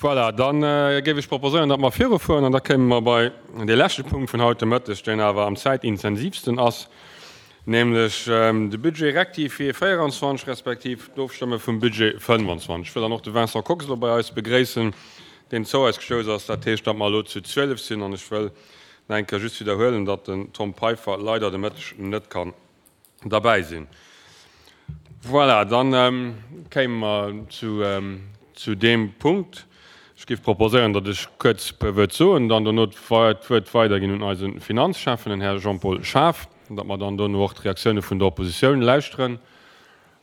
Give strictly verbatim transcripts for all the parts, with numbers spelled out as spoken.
Voilà, dann géif ech proposéieren, datt mer virufueren, an da kéime mer bei dee leschte Punkt vun haut de Mëtteg, deen awer am zäitintensivsten ass, nämlech de Budget rectifié véierundzwanzeg respektiv d'Ofstëmme vum Budget fënnefanzwanzeg. Ech wëll dann och de Vincent Kox elo bei eis begréissen, deen zou eis gestouss ass. Dat heescht, datt mer elo zu zwielef sinn, an ech wëll nach eng Kéier just widderhuelen, datt den Tom Peiffer leider de Mëtteg net kann derbäi sinn. Voilà, dann kéime mer zu, zu deem Punkt. Ech géif proposéieren, datt ech kuerz e puer Wuert soen, dann dono d'Wuert weiderginn un eise Finanzschäffen, den Här Jean-Paul Schaaf, datt mer dann dono och d'Reaktioune vun der Oppositioun lauschteren,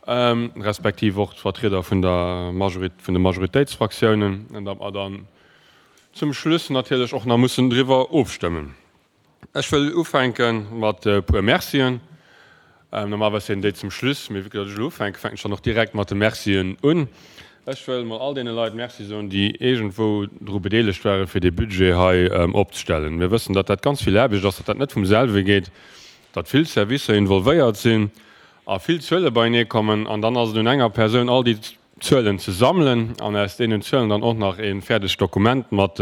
respektiv och d'Vertrieder vun der Majorit, vun de Majoritéitsfraktiounen, an datt mer dann zum Schluss natierlech och nach mussen driwwer ofstëmmen. Ech wëll ufänke mat e puer Mercien. Normalerweis sinn déi zum Schluss, mee vue que datt ech elo ufänken, fänken ech dann och direkt mat de Mercien un. Ech wëll mol all deene Leit Merci soen, déi iergendwou dru bedeelegt waren, fir dee Budget hei opzestellen. Mir wëssen, datt dat ganz vill Aarbecht ass, datt dat net vum selwe geet, datt vill Servicer involvéiert sinn a vill Zuele beienee kommen. An dann ass et un enger Persoun, all déi Zuelen ze sammelen an aus deenen Zuelen dann och nach e fäerdegt Dokument mat,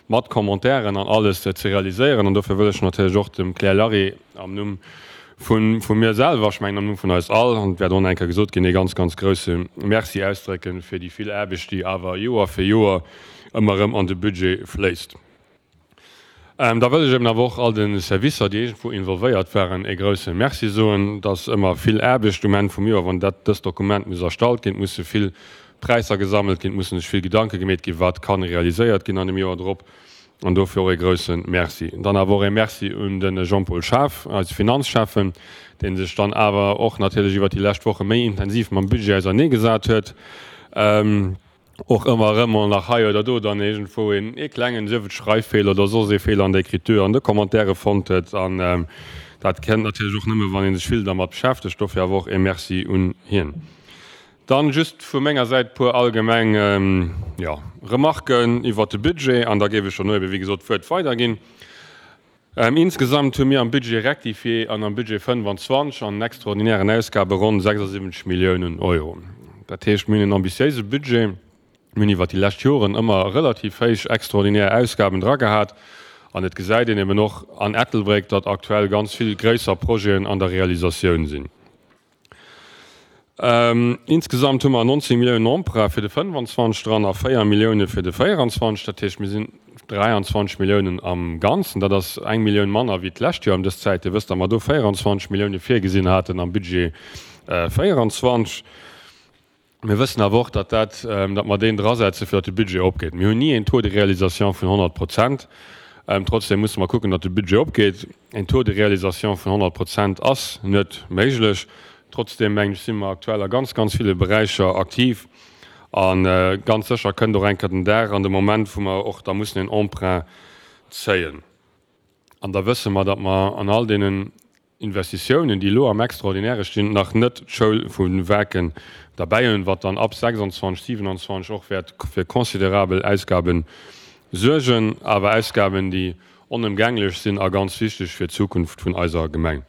mat Commentairen an alles ze realiséieren. An dofir wëll ech natierlech och dem Claire Larry am Numm vu, vu mir selwer, ech mengen am Numm vun eis all, an et wäert och nach eng Kéier gesot ginn, ee ganz, ganz grouse Merci ausdrécken fir déi vill Aarbecht, déi awer Joer fir Joer ëmmer erëm an de Budget fléisst. Da wëll ech eben awer och all de Servicer, déi iergendwou involvéiert waren, ee grouse Merci soen. Et ass ëmmer vill Aarbecht um Enn vum Joer, wann dat, dëst Dokument muss erstallt ginn. Et musse vill Präisser gesammelt ginn, et musse sech vill Gedanke gemeet ginn, wat ka realiséiert ginn an dem Joer drop. An dofir och ee grouse Merci. Dann awer och ee Merci un de Jean-Paul Schaaf, eise Finanzschäffen, dee sech dann awer och natierlech iwwert déi lescht Woche méi intensiv mam Budget auserneegesat huet. Och ëmmer erëm mol nach hei oder do dann iergendwou een ee klengen, sief et Schreiffeeler oder soss ee Feeler an der Écriture an de Commentairë fonnt huet. An dat kënnt natierlech och nëmme wann ee sech vill dermat beschäftegt. Dofir awer och ee Merci un hien. Dann just vu menger Säit e puer allgemeng, jo, Remarken iwwert de Budget an da géif ech dono ebe wéi gesot d'Wuert weiderginn. Insgesamt hu mir am Budget rectifié an am Budget fënnefanzwanzeg an extraordinären Ausgabe ronn sechsundsiwwenzeg Milliounen Euro. Dat heescht, mir hunn en ambitiéise Budget. Mir hunn iwwert déi lescht Joren ëmmer relativ héich extraordinär Ausgaben dra gehat an et gesäit een eben och an Ettelbréck, datt aktuell ganz vill gréisser Projeten an der Realisatioun sinn. Insgesamt hu mer neunzehn Milliounen Emprunt fir de fënnefanzwanzeg dran a véier Millioune fir de véieranzwanzeg. Dat heescht, mir sinn dräianzwanzeg Milliounen am Ganzen. Dat ass eng Millioun manner wéi d'lescht Joer ëm dës Zäit. Dir wësst, datt mer do véieranzwanzeg Millioune virgesinn haten am Budget véieranzwanzeg. Mir wëssen awer och, datt dat, datt mer deen drasetzen, fir datt de Budget opgeet. Mir hunn ni een Taux de réalisation vun honnert Prozent. Trotzdem musse mer kucken, datt de Budget opgeet. Een Taux de réalisation vun honnert Prozent ass net méiglech. Trotzdem, mengen ech, si mer aktuell a ganz, ganz ville Beräicher aktiv. A ganz sécher kënnt och eng Kéier den Dag an de Moment, wou mer och da mussen een Emprunt zéien. An da wësse mer, datt mer an all deenen Investitiounen, déi elo am Extraordinaire stinn, nach net d'Schoul vu Waarken derbäi hunn, wat dann ab sechsundzwanzeg, siewenundzwanzeg och wäert fir considerabel Ausgabe suergen, awer Ausgaben, déi onëmgänglech sinn a ganz wichteg fir d'Zukunft vun eiser Gemeng.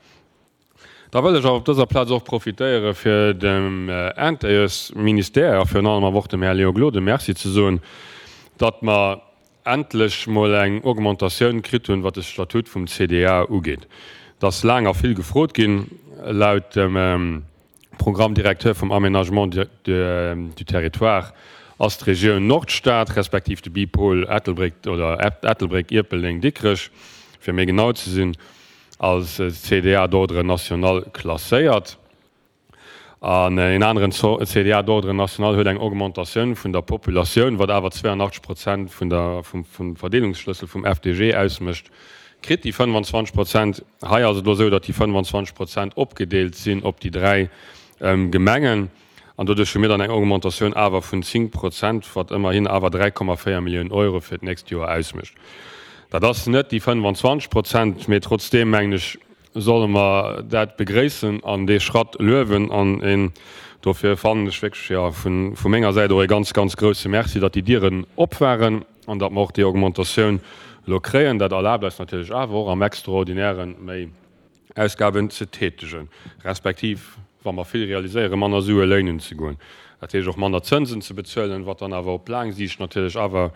Da wëll ech awer op dëser Plaz och profitéiere fir dem Intérieursministère a virun allem awer och dem Här Léon Gloden Merci ze soen, datt mer endlech mol eng Augmentatioun kritt hunn, wat de Statut vum C D A ugeet. Et ass laang a vill gefrot ginn. Laut dem Programme directeur vum Aménagement du Territoire ass d'Regioun Nordstad, respektiv de Bipol Ettelbréck oder Ettelbréck, Ierpeldeng, Dikrech, fir méi genau ze sinn, als C D A d'ordre national klasséiert. An een aneren C D A d'ordre national huet eng Augmentatioun vun der Populatioun, wat awer zweiundachtzeg Prozent vun der, vum, vum Verdeelungsschlëssel vum F D G ausmécht, kritt déi fënnefanzwanzeg Prozent. Hei ass et elo esou, datt déi fënnefanzwanzeg Prozent opgedeelt sinn op déi dräi, ähm, Gemengen. An doduerch hu mir dann eng Augmentatioun awer vun zéng Prozent, wat ëmmerhin awer dräi Komma véier Milliounen Euro fir d'nächst Joer ausmécht. Dat ass net déi fënnefanzwanzeg Prozent, mee trotzdem, mengen ech, solle mer dat begréissen an dee Schratt luewen. An een, dofir fannen ech wierklech, ja, vun, vu menger Säit och e ganz, ganz grouse Merci, datt déi Dieren op waren an datt mer och déi Augmentatioun elo kréien. Dat erlaabt eis natierlech awer och am Extraordinären méi Ausgaben ze tätigen, respektiv wa mer vill realiséieren, manner Sue léinen ze goen. Dat heescht och manner Zënsen ze bezuelen, wat dann awer op laang Siicht natierlech awer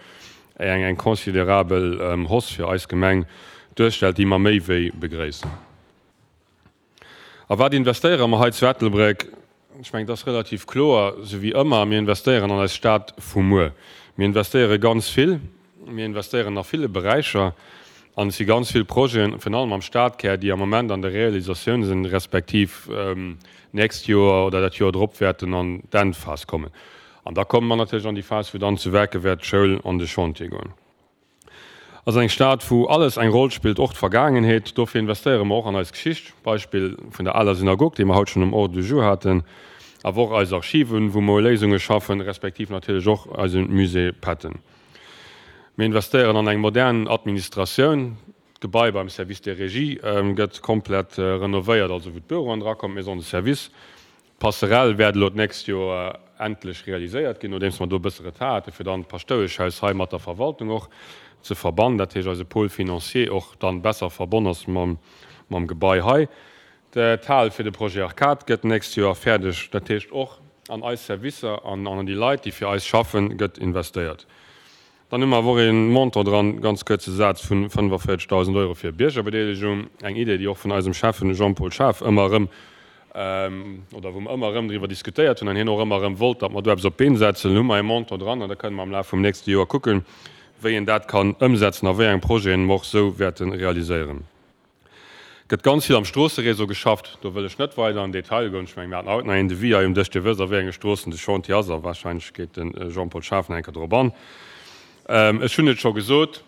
eng eng considerabel Hausse fir eis Gemeng duerstellt, déi mer méi wéi begréissen. A wat investéiere mer hei zu Ettelbréck? Ech mengen, et ass relativ kloer, sou wéi ëmmer, mir investéieren an eis Stad vu muer. Mir investéiere ganz vill, mir investéieren a ville Beräicher an et si ganz vill Projeten, virun allem am Stadkär, déi am Moment an der Realisatioun sinn, respektiv d'nächst Joer oder dat Joer drop wäerten an d'Endphas kommen. An da komme mer natierlech an déi Phas, wou dann zu Werke wäert d'Schoul an de Chantier goen. Ass eng Stad, wou alles eng Roll spillt, och d'Vergaangenheet. Dofir investéiere mer och an eis Geschicht, Beispill vun der aler Synagog, déi mer haut schonn um Ordre du jour haten, awer och eis Archiven, wou mer u Léisunge schaffen, respektiv natierlech och eise Musée Patton. Mir investéieren an eng modern Administratioun. D'Gebai beim Service des Régies gëtt komplett renovéiert, also wou d'Büroen drakommen, d'Maison de service. D'Passerelle wäert elo d'nächst Joer endlech realiséiert ginn, nodeems mer do e bësse Retard hate fir dann d'Paschtoueschhaus hei mat der Verwaltung och ze verbannen, dat heescht eise Pôle financier och dann besser verbonn ass mam mam Gebai hei. D'Hal fir de Projet Arcade gëtt d'nächst Joer fäerdeg, dat heescht och an eis Servicer an an déi Leit, déi fir eis schaffen, gëtt investéiert. Dann hu mer awer och ee Montant dran, ganz kuerze Saz, vu fënnefavierzeghtausend Euro fir Biergerbedeelegung, eng Idee, déi och vun eisem Schäffen Jean-Paul Schaaf ëmmer erëm, oder wou mer ëmmer erëm driwwer diskutéiert hunn an hien och ëmmer erëm wollt, datt mer do eppes op d'Been setzen. Elo hu mer ee Montant dran an da kënne mer am Laf vum nächste Joer kucken, wéi een dat kann ëmsetzen a wéi eng Projeten mer och esou wäerte realiséieren. Et gëtt ganz vill am Stroosseréseau geschafft. Do wëll ech net weider an den Detail goen. Ech mengen, mir haten haut nach een Devis hei um Dësch. Dir wësst, a wéi enge Stroossen de Chantier ass a wahrscheinlech geet de Jean-Paul Schaaf nach eng Kéier drop an. Ech hunn et scho gesot,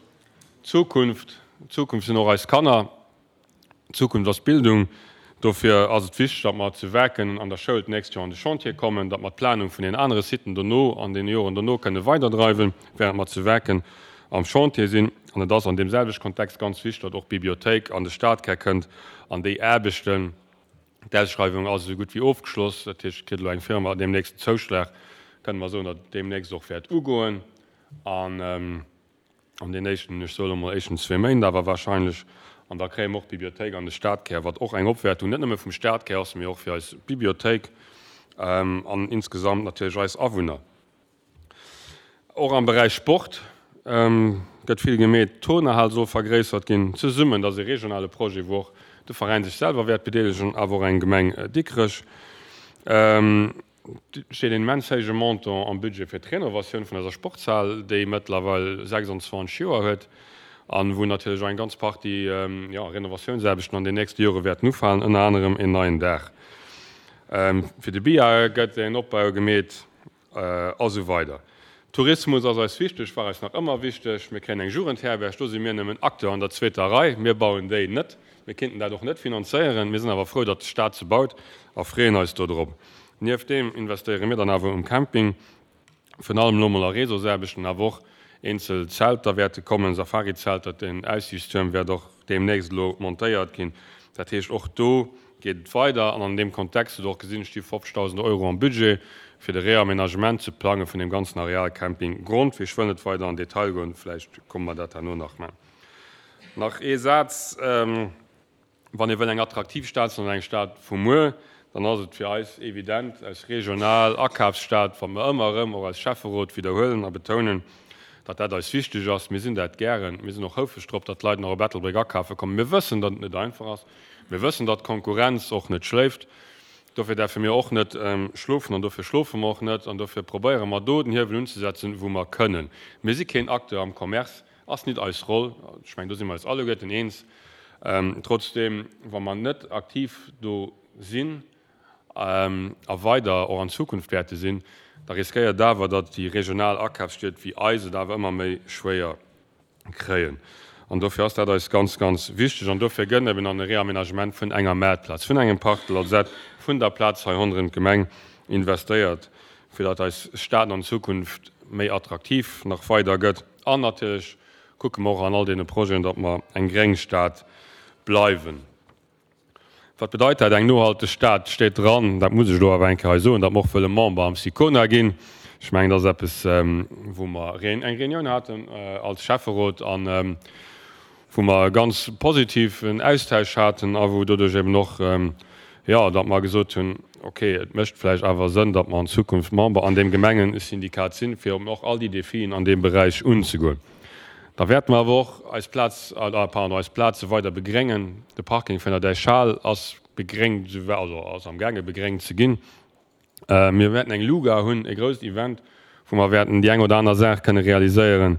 D'Zukunft, d'Zukunft sinn och eis Kanner. D'Zukunft ass Bildung. Dofir ass et wichteg, datt mer zu Werken an der Schoul d'nächst Joer an de Chantier kommen, datt mer d'Planung vun den anere Siten dono an deene Joren dono kënne weiderdreiwen, während mer zu Werken am Chantier sinn. An et ass an deem selwechte Kontext ganz wichteg, datt och d'Bibliothéik an de Stadkär kënnt an déi Aarbechten, d'Ausschreiwung ass esou gutt wéi ofgeschloss, dat heescht, et kritt elo eng Firma deemnächst den Zouschlag, kënne mer soen, datt et deemnächst och wäert ugoen. An an den éischten, ech soe lo mol éischten zwee Méint awer wahrscheinlech, an da kréie mer och d'Bibliothéik an de Stadkär, wat och eng Opwäertung net nëmme vum Stadkär ass, mee och fir eis Bibliothéik an insgesamt natierlech eis Awunner. Och am Beräich Sport gëtt vill gemeet. D'Turnerhal soll vergréissert ginn. Zesummen, dat ass e regionale Projet, wou och de Veräin sech selwer wäert bedeelegen, awer och eng Gemeng Dikrech. Et steet een immens héije Montant am Budget fir d'Renovatioun vun eiser Sportshal, déi mëttlerweil sechsundzwanzeg Joer huet an wou natierlech och eng ganz Partie, jo, Renovatiounsaarbechten an den nächste Jore wäerten ufalen, ënner anerem een neien Daach. Fir de Billard gëtt een Opbau gemeet a sou weider. Tourismus ass eis wichteg, war eis nach ëmmer wichteg. Mir kréien eng Jugendherberg, do si mir nëmmen Acteur an der zweeter Rei. Mir bauen déi net, mir kéinten dat och net finanzéieren. Mir sinn awer frou, datt de Staat se baut a freeën eis dodrop. Nieft deem investéiere mir dann awer um Camping, virun allem elo mol a Réseausaarbechten, awer och eenzel Zelter wäerte kommen, Safari-Zelter. Den Aussiichtstuerm wäert och deemnächst elo montéiert ginn. Dat heescht, och do geet et weider. An an deem Kontext hutt Der och gesinn, et sti fofzegdausend Euro am Budget, fir de Réaménagement ze plange vun deem ganzen Areal Camping Grondwee. Ech wëll net weider an Detail goen, vläicht komme mer dat herno nach. Mä nach ee Saz. Wann ee wëll eng attraktiv Stad sinn an eng Stad vu muer, dann ass et fir eis evident, als regional Akafsstad, wat mer ëmmer erëm och als Schäfferot widderhuelen a betounen, datt dat eis wichteg ass. Mir sinn dat gären. Mir sinn och houfreg drop, datt d'Leit nach op Ettelbréck akafe kommen. Mir wëssen, datt et net einfach ass. Mir wëssen, datt d'Konkurrenz och net schléift. Dofir däerfe mir och net schlofen an dofir schlofe mer och net an dofir probéiere mer do den Hiewel unzesetzen, wou mer kënnen. Mir si keen Acteur am Commerce, ass nit eis Roll. Ech mengen, do si mer eis alleguerten eens. Trotzdeem, wa mer net aktiv do sinn a weider och an Zukunft wäerte sinn, da riskéiert et awer, datt déi regional Akafsstied wéi eis et awer ëmmer méi schwéier kréien. An dofir ass dat eis ganz, ganz wichteg. An dofir gëtt eben an e Réaménagement vun enger Maartplaz, vun engem Parc de l'Alzette, vun der Plaz hei ronderëm d'Gemeng investéiert, fir datt eis Stad an Zukunft méi attraktiv nach weider gëtt an natierlech kucke mer och an all deene Projeten, datt mer eng gréng Stad bleiwen. Wat bedeit dat, eng nohalteg Stad? Steet dran, dat muss ech elo awer eng Kéier hei soen, datt mer och wëlle Member am SICONA ginn. Ech mengen, dat ass eppes, wou mer eng Reunioun haten als Schäfferot a wou mer e ganz positiven Austausch haten a wou doduerch eben och, jo, datt mer gesot hunn, okay, et mécht vläicht awer Sënn, datt mer an Zukunft Member an deem Gemengesyndikat sinn, fir eben och all déi Defien an deem Beräich unzegoen. Da wäerte mer awer och eis Plaz, pardon, eis Plaze weider begréngen. De Parking vun der Däichhal ass begréngt, also ass amgaange begréngt ze ginn. Mir wäerten eng Luga hunn, e grousst Event, wou mer wäerten déi eng oder aner Saach kënne realiséieren.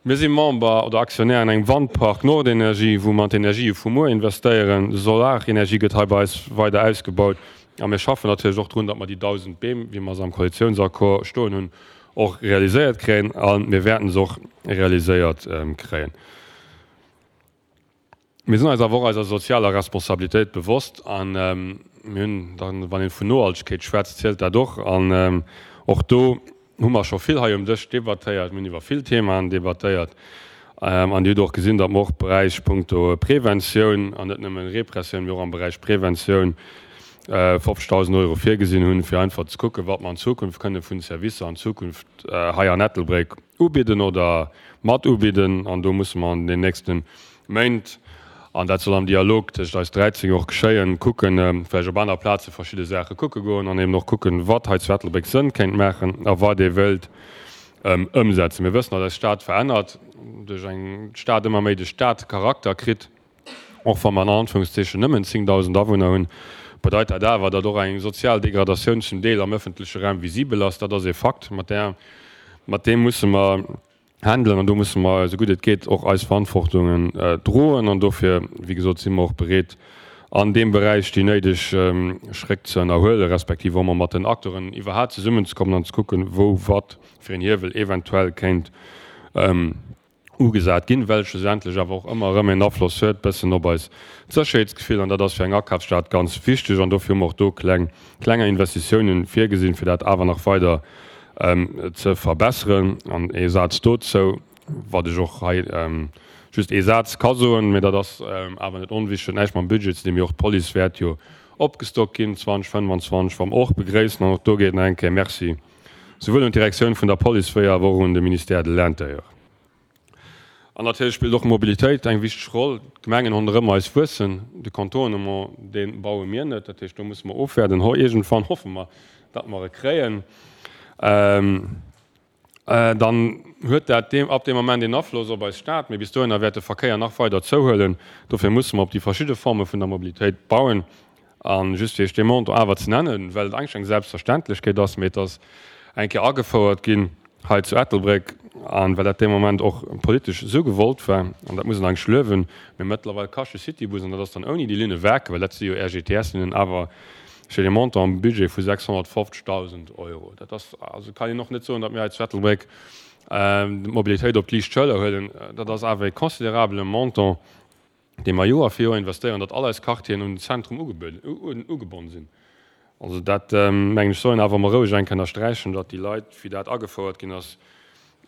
Mir si Member oder Aktionär an engem Wandpark Nordenergie, wou mer an d'Energië vu muer investéieren. Solarenergie gëtt hei bei eis weider ausgebaut. A mir schaffen natierlech och drun, datt mer déi dausend Beem, wéi mer se am Koalitiounsaccord stoen hunn, och realiséiert kréien. A mir wäerten se och realiséiert kréien. Mir sinn eis awer och eiser sozialer Responsabilitéit bewosst a mir hunn dann, wann ee vun Nohaltegkeet schwätzt, zielt dat och. An och do hu mer scho vill hei um Dësch debattéiert, mir hunn iwwer vill Themaen debattéiert. An Dir hutt och gesinn, datt mer och Beräich punkto Preventioun, an net nëmmen Repressioun, mee och am Beräich Preventioun fofzegdausend Euro virgesinn hunn, fir einfach ze kucken, wat mer an Zukunft kënne vun Servicer an Zukunft hei an Ettelbréck ubidden oder mat ubidden. An do musse mer an den nächste Méint, an dat soll am Dialog tëscht eis dräizéng och geschéien, kucken, vläicht op aner Plaze verschidde Saache kucke goen an eben och kucken, wat hei zu Ettelbréck Sënn kéint maachen a wat ee wëllt ëmsetzen. Mir wëssen, datt eis Stad verännert, duerch eng d'Stad ëmmer méi de Stadcharakter kritt, och wa mer an Anführungszeechen nëmmen zéngdausend Awunner hunn, bedeit dat awer, datt och eng sozial Degradatioun zum Deel am ëffentleche Raum visibel ass. Dat ass ee Fakt, mat där, mat deem musse mer handelen an do musse mer, esou gutt et geet, och eis Verantwortungen droen. An dofir, wéi gesot, si mer och bereet, an deem Beräich déi néideg Schréck ze ënnerhuelen, respektiv och emol mat den Acteuren iwwerhaapt zesummenzekommen an ze kucken, wou wat fir een Hiewel eventuell kéint ugesat ginn, well schlussendlech awer och ëmmer erëm een Afloss huet bëssen op eis Sécherheetsgefill. An dat ass fir eng Akafsstad ganz wichteg. An dofir hu mer och do kleng, klenger Investitiounen virgesinn, fir dat awer nach weider ze verbesseren. An ee Saz dozou, wat ech och hei just ee Saz ka soen, mä dat ass awer net onwichtig, huet näischt mam Budget ze dinn, mee och d'Police wäert jo opgestockt ginn zweedausendfënnwanzwanzeg, wat mer och begréissen. An och do geet nach eng Kéier Merci souwuel un d'Direktioun vun der Police wéi awer och un de Ministère de l'Intérieur. An natierlech spillt och d'Mobilitéit eng wichteg Roll. D'Gemengen ronderëm eis wuessen, de Contournement, dee baue mir net, dat heescht do musse mer ofwäerden. Iergendwann hoffe mer, datt mer e kréien. Dann huet dat ab deem Moment een Afloss op eis Stad, mee bis dohinner wäert de Verkéier nach weider zouhuelen. Dofir musse mer op déi verschidde Forme vun der Mobilitéit bauen. A just fir Iech dee Montant awer ze nennen, well et eigentlech eng Selbstverständlechkeet ass, mee et ass eng Kéier agefouert ginn hei zu Ettelbréck, a well dat dee Moment och politesch esou gewollt war, an dat muss een eigentlech luewen, mee mëttlerweil kascht de Citybus, an dat ass dann ouni déi Linne Werke, well dat si jo R G T S-Linnen, awer steet e Montant am Budget vu sechshonnertfofzegdausend Euro. Dat ass, also kann een och net soen, datt mir hei zu Ettelbréck d'Mobilitéit op d'liicht Schëller huelen. Dat ass awer e considerabele Montant, dee mer Joer fir Joer investéieren, datt all eis Quartieren un den Zentrum ugebonn sinn. Also dat, mengen ech, soll een awer emol roueg eng Kéier ënnersträichen, datt déi Leit, wéi dat agefouert ginn ass,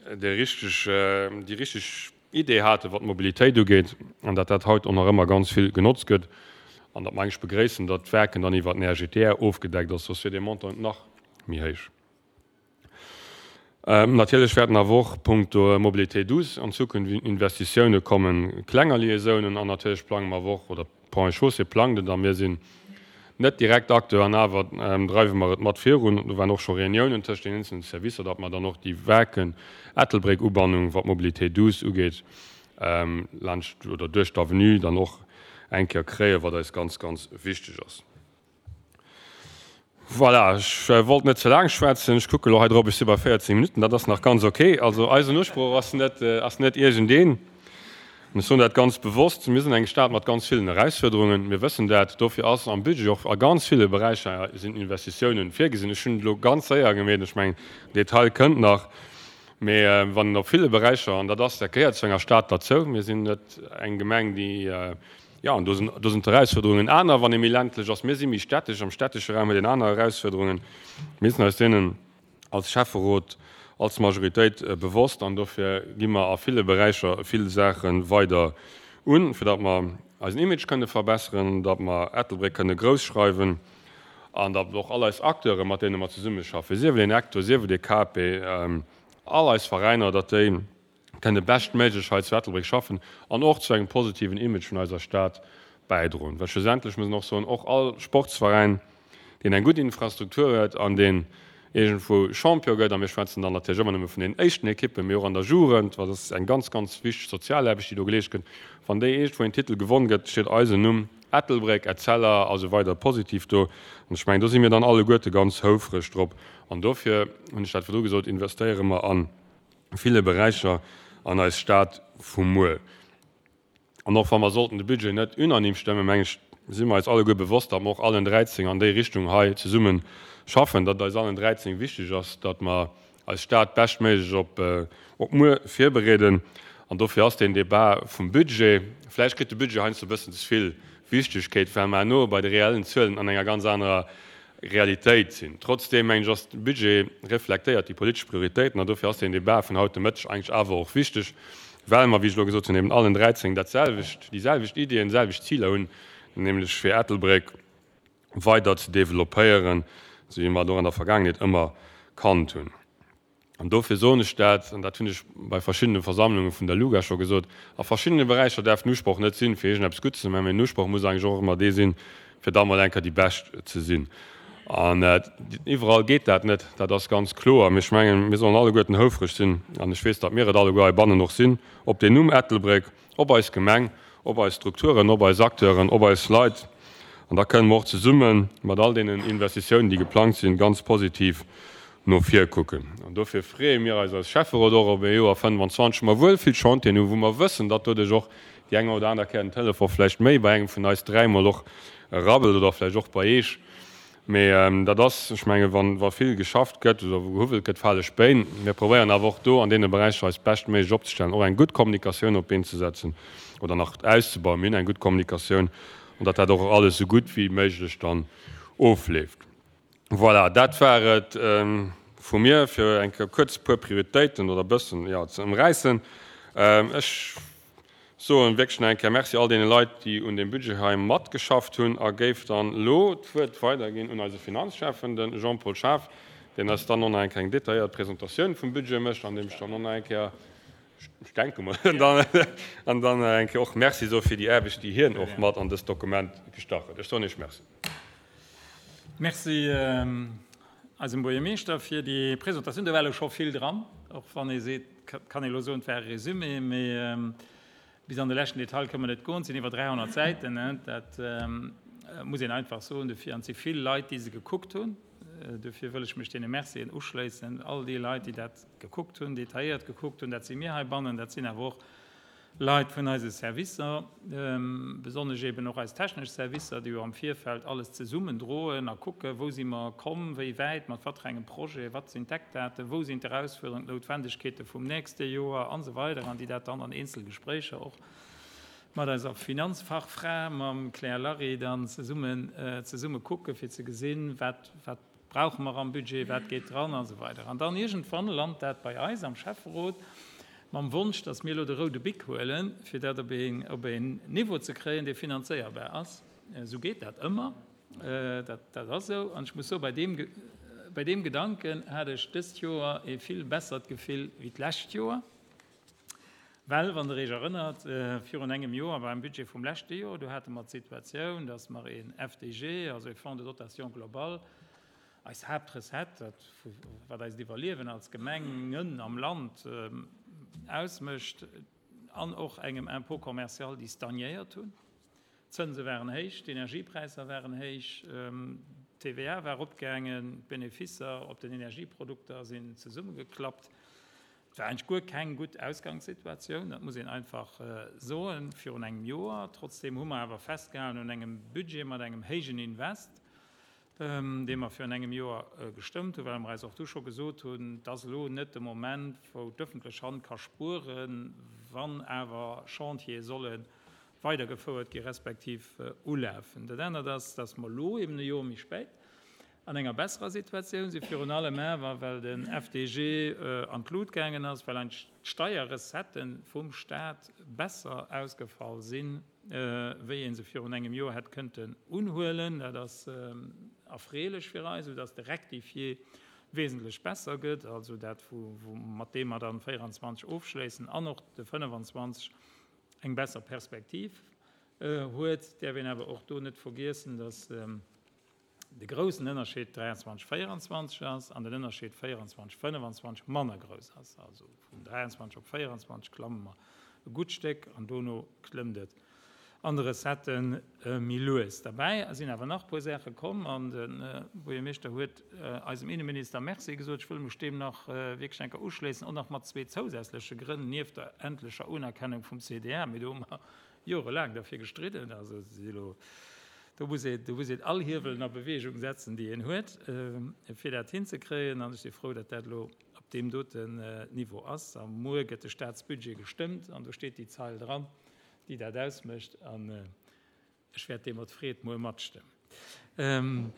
déi richteg, déi richteg Idee haten, wat d'Mobilitéit ugeet, an datt dat haut och nach ëmmer ganz vill genotzt gëtt, an datt mer eigentlech begréissen, datt d'Werken dann iwwert den R G T R ofgedeckt ass, soss wier dee Montant nach méi héich. Natierlech wäerten awer och punkto Mobilité douce an Zukunft Investitioune kommen, klenger Liaisounen, an natierlech plange mer awer och, oder d'Ponts et Chaussées plangt et, a mir sinn net direkt Acteur an awer dreiwe mer et mat virun, do waren och scho Reuniounen tëscht den eenzelnen Servicer, datt mer dann och déi Werken-Ettelbréck-Ubannung, wat d'Mobilité douce ugeet, laanscht oder duerch d'Avenue dann och eng Kéier kréien, wat eis ganz, ganz wichteg ass. Voilà, ech wollt net ze laang schwätzen. Ech kucke lo hei drop, ech si bei véierzéng Minutten, dat ass nach ganz ok. Also eisen Usproch ass net, ass net iergendeen. An ech soen dat ganz bewosst, mir sinn eng Stad mat ganz villen Erausfuerderungen, mir wëssen dat. Dofir ass am Budget och a ganz ville Beräicher sinn Investitiounen virgesinn. Ech hunn et elo ganz séier gemeet, ech mengen, den Detail kënnt nach. Mee wann een op ville Beräicher, an dat ass, dat gehéiert zu enger Stad derzou, mir sinn net eng Gemeng, déi, jo, an do sinn, do sinn d'Erausfuerderungen aner, wann ee méi ländlech ass. Mir si méi städtesch, am städtesche Raum huet een aner Erausfuerderungen. Mir sinn eis deenen als Schäfferot, als Majoritéit bewosst an dofir gi mer a ville Beräicher vill Saache weider un, fir datt mer eisen Image kënne verbesseren, datt mer Ettelbréck kënne grouss schreiwen an datt och all eis Acteuren, mat deene mer zesummeschaffen, sief et een Acteur, sief et e K P, all eis Veräiner, datt déi kënne beschtméiglech hei zu Ettelbréck schaffen an och zu engem positiven Image vun eiser Stad bäidroen. Well schlussendlech muss een och soen, och all Sportsveräin, deen eng gutt Infrastruktur huet an deen iergendwou Champion gëtt, a mir schwätzen dann natierlech ëmmer nëmme vun den éischten Ekippen, mee och an der Jugend, well dat ass eng ganz, ganz wichteg Sozialaarbecht, déi do geleescht gëtt, wann déi iergendwou een Titel gewonn gëtt, steet eisen Numm, Ettelbréck, Etzella a sou weider, positiv do. An ech mengen, do si mir dann alleguerte ganz houfreg drop. An dofir, hunn ech dat virdru gesot, investéiere mer a ville Beräicher an eis Stad vu muer. An och wa mer sollten de Budget net unanime stëmmen, meng ech, si mer eis alleguer bewosst, datt mer och allen dräizéng an déi Richtung hei zesumme schaffen, datt et eis allen dräizéng wichteg ass, datt mer eis Stad beschtméiglech op op muer virbereeden. An dofir ass deen Débat vum Budget, vläicht kritt de Budget heiansdo e bëssen ze vill Wichtegkeet, well mer herno bei de reellen Zuelen an enger ganz anerer Realitéit sinn. Trotzdeem, mengen ech, ass de Budget reflektéiert déi politesch Prioritéiten an dofir ass deen Débat vun haut de Mëtteg eigentlech awer och wichteg, well mer, wéi ech elo gesot hunn, eben allen dräizéng dat selwecht, déi selwecht Iddien, déi selwecht Ziler hunn, nämlech fir Ettelbréck weider ze developpéieren, esou wéi mer et och an der Vergaangenheet ëmmer kannt hunn. An dofir soen ech dat, an dat hunn ech bei verschiddene Versammlunge vun der LUGA scho gesot, a verschiddene Beräicher däerf den Usproch net sinn, fir iergendeppes gutt ze maachen, mä den Usproch muss eigentlech och ëmmer dee sinn, fir da mol eng Kéier déi Bescht ze sinn. An iwwerall geet dat net, dat ass ganz kloer. Mee ech mengen, mir sollen alleguerten houfreg sinn, an ech weess, datt mir et alleguer heibannen och sinn, op deen Numm Ettelbréck, op eis Gemeng, op eis Strukturen, op eis Acteuren, op eis Leit. An da kënnen mer och zesumme mat all deenen Investitiounen, déi geplangt sinn, ganz positiv no vir kucken. An dofir freeë mir eis als Schäfferot och op e Joer fënnfanzwanzeg, wou mer wuel vill Chantieren hunn, wou mer wëssen, datt doduerch och déi eng oder aner Kéier den Telefon vläicht méi bei engem vun eis dräi mol och rabbelt oder vläicht och bei Eech. Mee dat ass, ech menge wa vill geschafft gëtt oder wou gehuwwelt gëtt, fale Spéin. Mir probéieren awer och do an deene Beräicher eis beschtméiglech opzestellen, och eng gutt Kommunikatioun op d'Been ze setzen oder nach auszebauen. Mir hunn eng gutt Kommunikatioun an datt dat och alles esou gutt wéi méiglech dann ofleeft. Voilà, dat war et vu mir, fir eng Kéier kuerz e puer Prioritéiten oder e bëssen, jo, ze ëmräissen. Ech soen wierklech nach eng Kéier Merci all deene Leit, déi un deem Budget hei matgeschafft hunn a géif dann elo d'Wuert weiderginn un eise Finanzschäffen, de Jean-Paul Schaaf, deen eis dann och nach eng Kéier eng detailléiert Presentatioun vum Budget mécht an deem ech dann och nach eng Kéier, ech denke mol, an dann nach eng Kéier och Merci soe fir déi Aarbecht, déi hien och mat an dëst Dokument gestach huet. Ech soen Iech Merci. Merci eisem Buergermeeschter fir déi Presentatioun. Do war elo scho vill dran, och wann ee seet, kann ee elo soen, et war e Résumé, mee bis an de leschten Detail kënne mer net goen. Et sinn iwwer dräihonnert Säiten, dat muss een einfach soen. Dofir, an et si vill Leit, déi se gekuckt hunn. Dofir wëll ech mech deene Mercien uschléissen, all déi Leit, déi dat gekuckt hunn, detailléiert gekuckt hunn. Dat si mir heibannen, dat sinn awer och Leit vun eise Servicer, besonnesch eben och eis technesch Servicer, déi jo am Virfeld alles zesummendroen a kucken, wou si mer komm, wéi wäit, mat wat fir engem Projet, wat sinn d'Eckdaten, wou sinn d'Erausfuerderungen, d'Noutwendegkeete vum nächste Joer an esou weider an déi dat dann an eenzel Gespréicher och mat eiser Finanzfachfra, mam Claire Larry, dann zesummen, zesumme kucken, fir ze gesinn, wat, wat brauche mer am Budget, wat geet dran an esou weider. An dann iergendwann lant dat bei eis am Schäfferot, mam Wonsch, dass mir elo de roude Bic huelen, fir dat op een, op een Niveau ze kréien, dee finanzéierbar ass. Esou geet dat ëmmer. Dat, dat ass esou. An ech muss soen, bei deem, bei deem Gedanken hat ech dëst Joer ee vill bessert Gefill wéi d'lescht Joer. Well, wann Der Iech erënnert, virun engem Joer beim Budget vum leschte Joer, do hate mer d'Situatioun, dass mer een F D G, also e Fonds de dotation global, eis Haaptrecette, dat wat eist Iwwerliewen als Gemengen am Land ausmécht, an och engem Impôt commercial, déi stagnéiert hunn. D'Zënse waren héich, d'Energiepräisser waren héich, d'T V A war eropgaangen, d'Beneficer op den Energieprodukter sinn zesummegeklappt. Et war eigentlech guer keng gutt Ausgangssituatioun, dat muss een einfach soen, virun engem Joer. Trotzdeem hu mer awer festgehalen un engem Budget mat engem héijen Invest, dee mer virun engem Joer gestëmmt hunn, well mer eis och du scho gesot hunn, et ass elo net de Moment, wou d'ëffentlech Hand ka spueren, wann awer Chantiere solle weidergefouert gi respektiv ulafen. Dat anert ass, dass mer elo eben e Joer méi spéit an enger besserer Situatioun sinn, virun allem awer, well den F D G an d'Lut gaangen ass, well eigentlech d'Steierrecettë vum Stat besser ausgefall sinn, wéi ee se virun engem Joer hätt kënnten unhuelen. Dat ass erfreelech fir eis, soudass de Rectifié wesentlech besser gëtt, also dat, wou mat deem mer dann véieranzwanzeg ofschléissen an och de fënnfanzwanzeg eng besser Perspektiv huet. Däerf een awer och do net vergiessen, dass de groussen Ënnerscheed dräianzwanzeg, véieranzwanzeg ass an den Ënnerscheed véieranzwanzeg, fënnefanzwanzeg manner grouss ass. Also vun dräianzwanzeg op véieranzwanzeg klamme mer e gutt Stéck an dono klëmmt et an de Recettë méi lues. Derbäi sinn awer nach e puer Saache komm an de Buergermeeschter huet eisem Inneminister Merci gesot. Ech wëll mech deem nach wierklech eng Kéier uschléissen, och nach mat zwee zousätzleche Grënn nieft der endlecher Unerkennung vum C D R. Mee do hu mer jorelaang derfir gestridden. Also si elo do muss ee do muss een all Hiewelen a Beweegung setzen, déi een huet, fir dat hinzekréien. An ech si frou, datt dat elo op deem doten Niveau ass. A muer gëtt de Staatsbudget gestëmmt an do steet déi Zeil dran, déi dat ausmécht. An ech wäert dee mat Freed muer matstëmmen.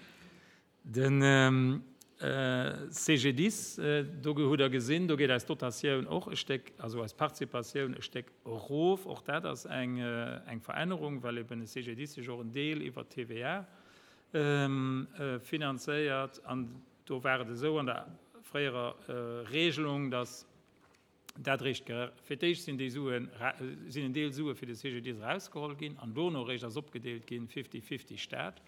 Den C G D I S, do hutt Der gesinn, do geet eis Dotatioun och e Stéck, also eis Participatioun e Stéck erof. Och dat ass eng eng Verännerung, well eben de C G D I S sech och en Deel iwwer d'T V A finanzéiert. An do war et esou an der fréierer Regelung, dass dat réischt fir d'éischt sinn déi Suen, sinn en Deel Sue fir de C G D I S erausgeholl ginn an dono réischt ass opgedeelt ginn fifty-fifty Staat.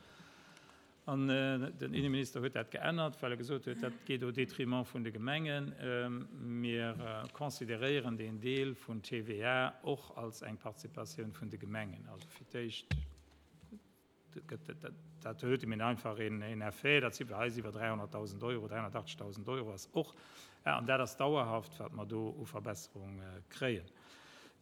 An den Inneminister huet dat geännert, well e gesot huet, dat geet au détriment vun de Gemengen. Mir consideréieren deen Deel vun T V A och als eng Participatioun vun de Gemengen. Also fir d'éischt gëtt dat huet mir einfach een een Effet, dat si bei eis iwwer dräihonnertdausend Euro, dräihonnertachtzegdausend Euro ass och, an dat ass dauerhaft, wat mer do u Verbesserung kréien.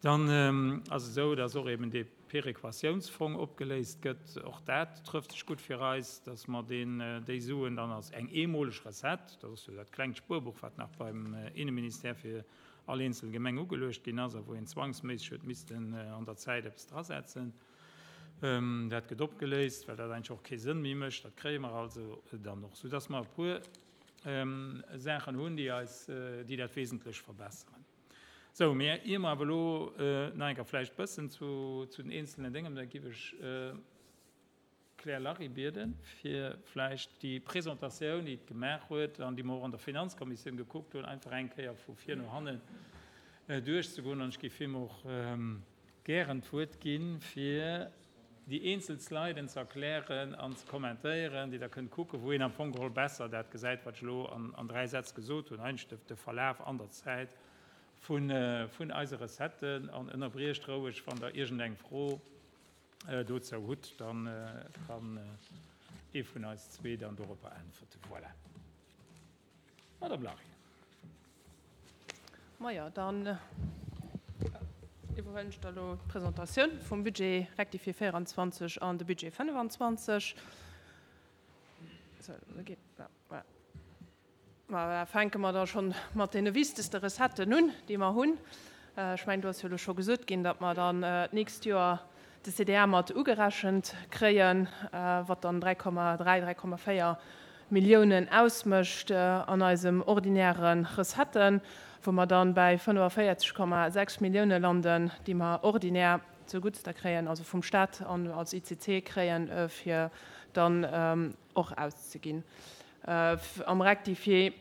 Dann ass et esou, dass och eben dee Perequatiounsfong opgeléist gëtt. Och dat trëfft sech gutt fir eis, dass mer deen, déi Suen dann als eng eemoleg Recette, dat ass jo dat klengt Spuerbuch, wat nach beim Inneministère fir all eenzel Gemeng ugeluecht ginn ass a wou een zwangsméisseg huet missten an der Zäit eppes drasetzen, dat gëtt opgeléist, well dat eigentlech och kee Sënn méi mécht. Dat kréie mer also dann och, soudass mer e puer Saachen hunn, déi eis, déi dat wesentlech verbesseren. Sou, mee ier mer awer elo nach eng Kéier vläicht bëssen zu, zu den eenzelnen Déngen, da giff ech d'Claire Larry bieden, fir vläicht déi Presentatioun, déi et gemaach huet an déi mer och an der Finanzkommissioun gekuckt hunn, einfach eng Kéier vu vir no hannen duerchzegoen. An ech giff him och gären d'Wuert ginn, fir déi eenzel Sliden ze erklären an ze kommentéieren, déi Der kënnt kucken, wou een am Fong geholl besser dat gesäit, wat ech elo an, an dräi Sätz gesot hunn, eigentlech de Verlaf an der Zäit vun, vun eise Recetten, an ënnerbriecht roueg, wann Der iergendeng Fro dozou hutt, dann kann ee vun eis zwee dann doropper äntwerten. Voilà. Madame Larry. Maja, dann iwwerhuelen ech da lo d'Presentatioun vum Budget rectifié véieranzwanzeg an de Budget fënnefanzwanzeg. Sou, da geet, ja, voilà. Ma da fänke mer da schonn mat deene wichtegste Recetten un, déi mer hunn. Ech mengen, do ass jo elo scho gesot ginn, datt mer dann d'nächst Joer de C D R mat ugerechent kréien, wat dann dräi Komma dräi, dräi Komma véier Milliounen ausmécht an eisem ordinäre Recetten, wou mer dann bäi fënnefavéierzeg Komma sechs Millioune landen, déi mer ordinär zeguttster kréien, also vum Staat an als I C C kréien, fir dann och auszeginn. Am Rectifié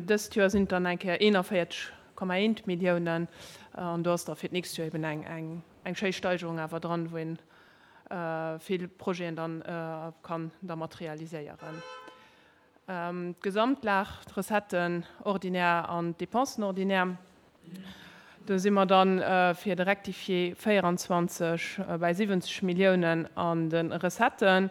dëst Joer sinn et dann eng Kéier eenanvéierzeg Komma eent Milliounen an do ass da fir d'nächst Joer eben eng, eng, eng schéi Steigerung awer dran, wou een vill Projeten dann kann da mat realiséieren. D'Gesamtlag, d'Recetten ordinaire an d'Dépensen ordinaire, do si mer dann fir de Rectifié véieranzwanzeg bäi siwwenzeg Milliounen an de Recetten.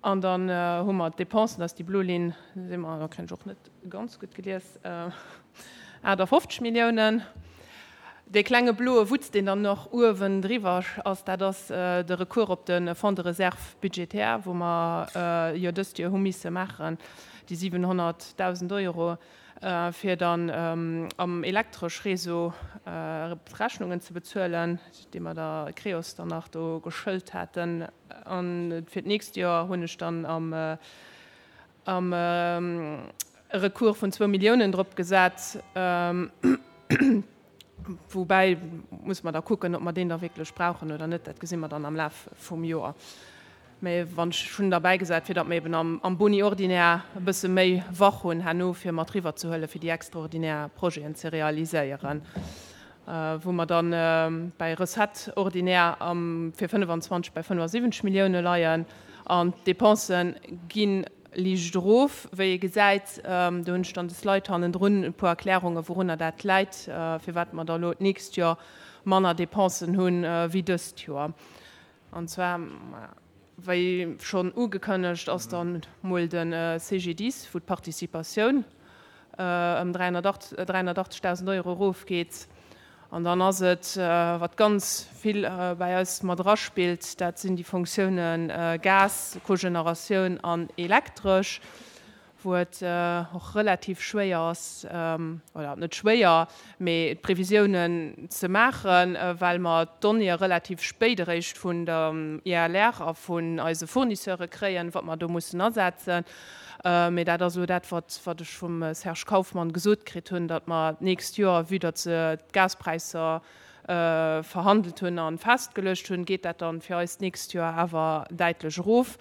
An dann hu mer d'Dépensen, dat ass déi blo Linn, si mer, da kréien ech och net ganz gutt gelies, aachtafofzeg Milliounen. Dee klenge bloe Wutz, deen dann nach uewen driwwer ass, dat ass de Recours op de Fonds de réserve budgétaire, wou mer jo dëst Joer hu misse maachen, déi siwenhonnertdausend Euro, fir dann am Elektreschréseau d'Rechnungen ze bezuelen, déi mer der Creos dann nach do geschëlt haten. An fir d'nächst Joer hunn ech dann am am e Recours vun zwou Milliounen drop gesat, woubäi muss mer da kucken, ob mer deen da wierklech brauchen oder net, dat gesi mer dann am Laf vum Joer. Mä wann ech hunn derbäi gesat, fir datt mer eben am am Boni ordinaire e bësse méi wach hunn herno, fir mat riwwer ze huelen, fir déi extraordinär Projeten ze realiséieren. Wou mer dann bäi Recettes ordinaires am fir fënnefenzwanzeg bei fënnefasiwwenzeg Millioune leien an d'Dépensen gi liicht erof, wéi ee gesäit. Do hunn ech dann de Slide hannendrun, e puer Erklärungen, wourunner dat läit, firwat mer da elo d'nächst Joer manner Dépensen hunn wéi dëst Joer. An zwar, wéi schonn ugekënnegt, ass dann mol de C G D I S, wou d'Participatioun ëm dräihunnertachtzegdausend Euro erofgeet. An dann ass et, wat ganz vill bäi eis mat eraspillt, dat sinn déi Fonctiounen Gas, Cogeneratioun an Elektresch, wou et och relativ schwéier ass, oder net schwéier, mee d'Previsiounen ze maachen, well mer d'Donnéeë relativ spéit eréischt vun der I L R a vun eise Fournisseure kréien, wat mer do mussen asetzen. Mee dat ass elo dat, wat wat ech vum Serge Kauffmann gesot kritt hunn, datt mer d'nächst Joer, vue datt se d'Gaspräisser verhandelt hunn a festgeluecht hunn, geet dat dann fir eis d'nächst Joer awer däitlech erof.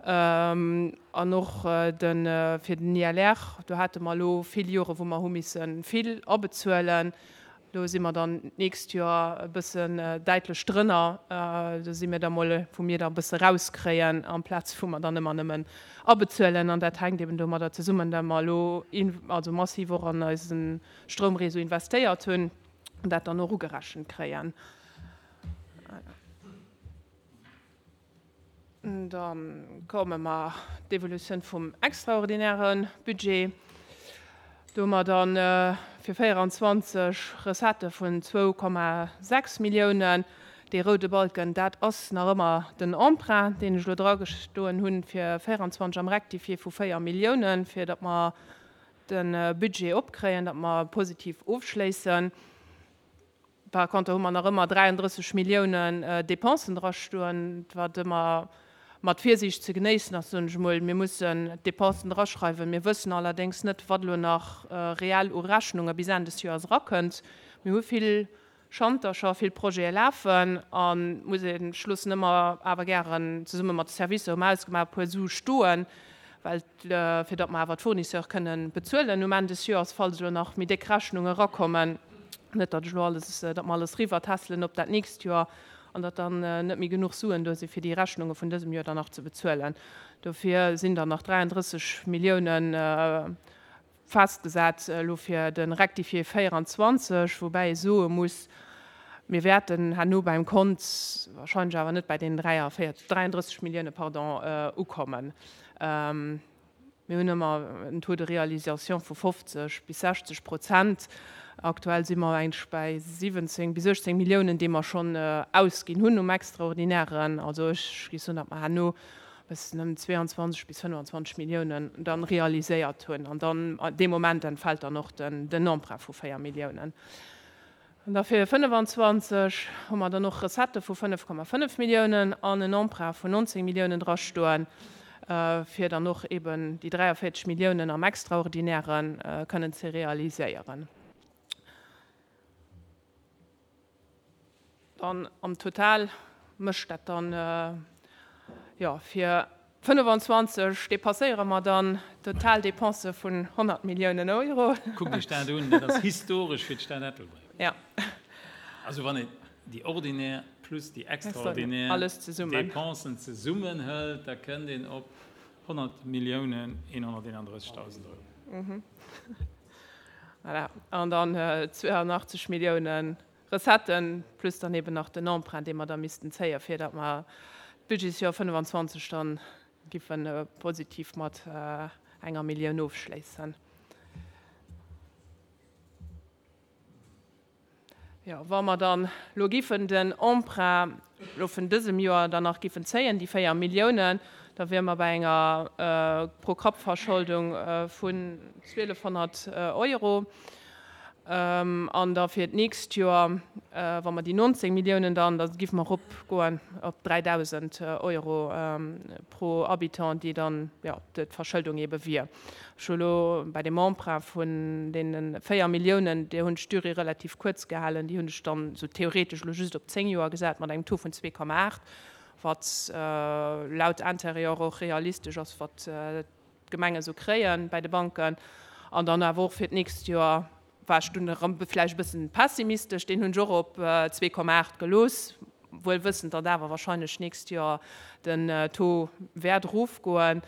An och de fir den I L R, do hate mer elo vill Jore wou mer hu misse vill abezuelen. Do si mer dann d'nächst Joer e bëssen däitlech drënner. Do si mir da mol, wou mir da e bësse rauskréien, amplaz wou mer dann ëmmer nëmmen abezuelen. An dat hänkt eben domadder zesummen, datt mer elo also massiv och an eise Stroumréseau investéiert hunn an dat dann och ugerechent kréien. Da komme mer d'Evolutioun vum extraordinäre Budget. Do hu mer dann fir véieranzwanzeg Recettë vun zwou Komma sechs Milliounen. Dee roude Balken, dat ass nach ëmmer den Emprunt, deen ech elo dragestoen hunn fir véieranzwanzeg am Rectifié vu véier Milliounen, fir datt mer de Budget opkréien, datt mer positiv ofschléissen. Par contre hu mer nach ëmmer dräiandrësseg Milliounen Dépensen drastoen, wat ëmmer mat Virsiicht ze genéissen ass, soen ech emol. Mir mussen d'Dépensen draschreiwen. Mir wëssen allerdéngs net, wat elo nach reell u Rechnunge bis Enn des Joers erakënnt. Mir hu vill Schantercher, vill Projete lafen a muss een, ech loossen ëmmer awer gären zesumme mat de Servicer, hu mer ausgemaach, e puer Sue stoen, well fir datt mer awer d'Fournisseure kënnen bezuelen um Enn des Joers, falls elo nach méi déck Rechnunge erakommen. Net datt ech elo alles, datt mer alles eriwwertässelen op dat nächst Joer an datt dann net méi genuch Suen do si fir déi Rechnunge vun dësem Joer dann nach ze bezuelen. Dofir sinn dann nach dräiandrësseg Milliounen festgesat elo fir de Rectifié véieranzwanzeg, woubäi ee soe muss, mir wäerten herno beim Kont wahrscheinlech awer net bei deenen dräiandrësseg Millioune, pardon, ukommen. Mir hunn ëmmer en Taux de réalisation vu fofzeg bis sechzeg Prozent. Aktuell si mer eigentlech bäi siwwenzéng bis uechtzéng Milliounen, déi mer schonn ausginn hunn um Extraordinären. Also ech géif soen, datt mer herno bëssen ëm zwéianzwanzeg bis fënnefenzwanzeg Milliounen dann realiséiert hunn. An dann dee Moment entfält dann och den Emprunt vu véier Milliounen. An da fir fënnefenzwanzeg hu mer dann och Recettë vu fënnef Komma fënnef Milliounen an en Emprunt vun nonzéng Milliounen drastoen, fir dann och eben déi dräiavéierzeg Milliounen am Extraordinäre kënnen ze realiséieren. Dann am Total mécht dat dann, jo, fir fënnefenzwanzeg depasséiere mer dann d'Totaldepensë vun honnert Milliounen Euro. Kuckt Iech dat un, dat ass historesch fir d'Stad Ettelbréck. Ja. Also wann een déi ordinär plus déi extraordinär Alles zesummen. Dépensen zesummen hëlt, da kënnt een op honnert Milliounen eenhonnerteenandrëssegdausend Euro. Voilà. An dann zweeanachtzeg Milliounen Recetten plus dann eben nach den Emprunt, dee mer da missten zéien, fir datt mer d'Budgetsjoer fënnefenzwanzeg dann giffen positiv mat enger Millioun ofschléissen. Jo, wa mer dann elo giffen den Emprunt elo vun dësem Joer dann nach giffen zéien, déi véier Milliounen, da wiere mer bei enger Pro-Kapp-Verscholdung vun zwielefhonnert Euro. An da fir d'nächst Joer, wa mer déi nonzéng Milliounen dann, da giffe mer eropgoen op dräidausend Euro pro Habitant, déi dann, jo, d'Verschëldung eebe wier. Ech hu elo bei deem Emprunt vun deene véier Milliounen, déi hunn ech d'Durée relativ kuerz gehalen, déi hunn ech dann esou theoretesch elo just op zéng Joer gesat mat engem Taux vun zwee Komma aacht, wat laut Interieur och realistesch ass, wat d'Gemenge sou kréie bei de Banken. An dann awer och fir d'nächst Joer, war ech dunn erëm vläicht e bëssen pessimistesch, deen hunn ech och op zwee Komma aacht gelooss, wuel wëssend, datt awer wahrscheinlech d'nächst Joer den Taux wäert erofgoen.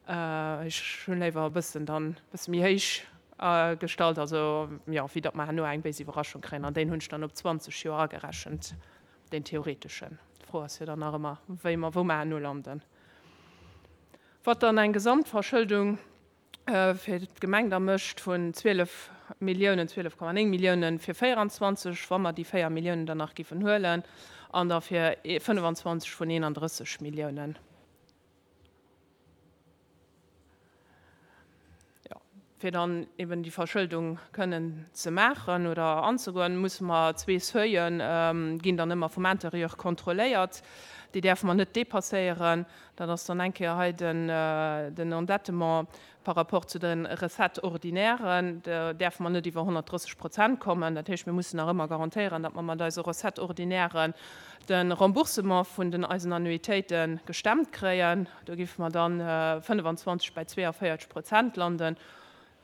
Ech hunn léiwer e bëssen dann e bësse méi héich gestallt, also jo, wéi datt mer herno eng béis Iwwerraschung kréien. An deen hunn ech dann op zwanzeg Joer agerechent, deen theoreteschen. D'Fro ass jo dann nach ëmmer, wéi mer, wou mer herno landen. Wat dann eng Gesamtverschëldung fir d'Gemeng da mécht vun zwielef Milliounen, zwielef Komma néng Milliounen fir véieranzwanzeg, wa mer déi véier Milliounen dann nach géifen huelen, an da fir fënnefanzwanzeg vun eenandrësseg Milliounen. Jo, fir dann eben déi Verschëldung kënnen ze maachen oder anzegoen, musse mer zwee Seuilen, ginn dann ëmmer vum Intérieur kontrolléiert, déi däerfe mer net dépasséieren. Dat ass dann eng Kéier hei den, den Endettement par rapport zu de Recettes ordinairen. Do däerfe mer net iwwer honnertdrësseg Prozent kommen. Dat heescht, mir mussen nach ëmmer garantéieren, datt mer mat eise Recettes ordinairen de Remboursement vun den eisen Annuitéite gestemmt kréien. Do géife mer dann fënnefanzwanzeg bei zweeënvéierzeg Prozent landen.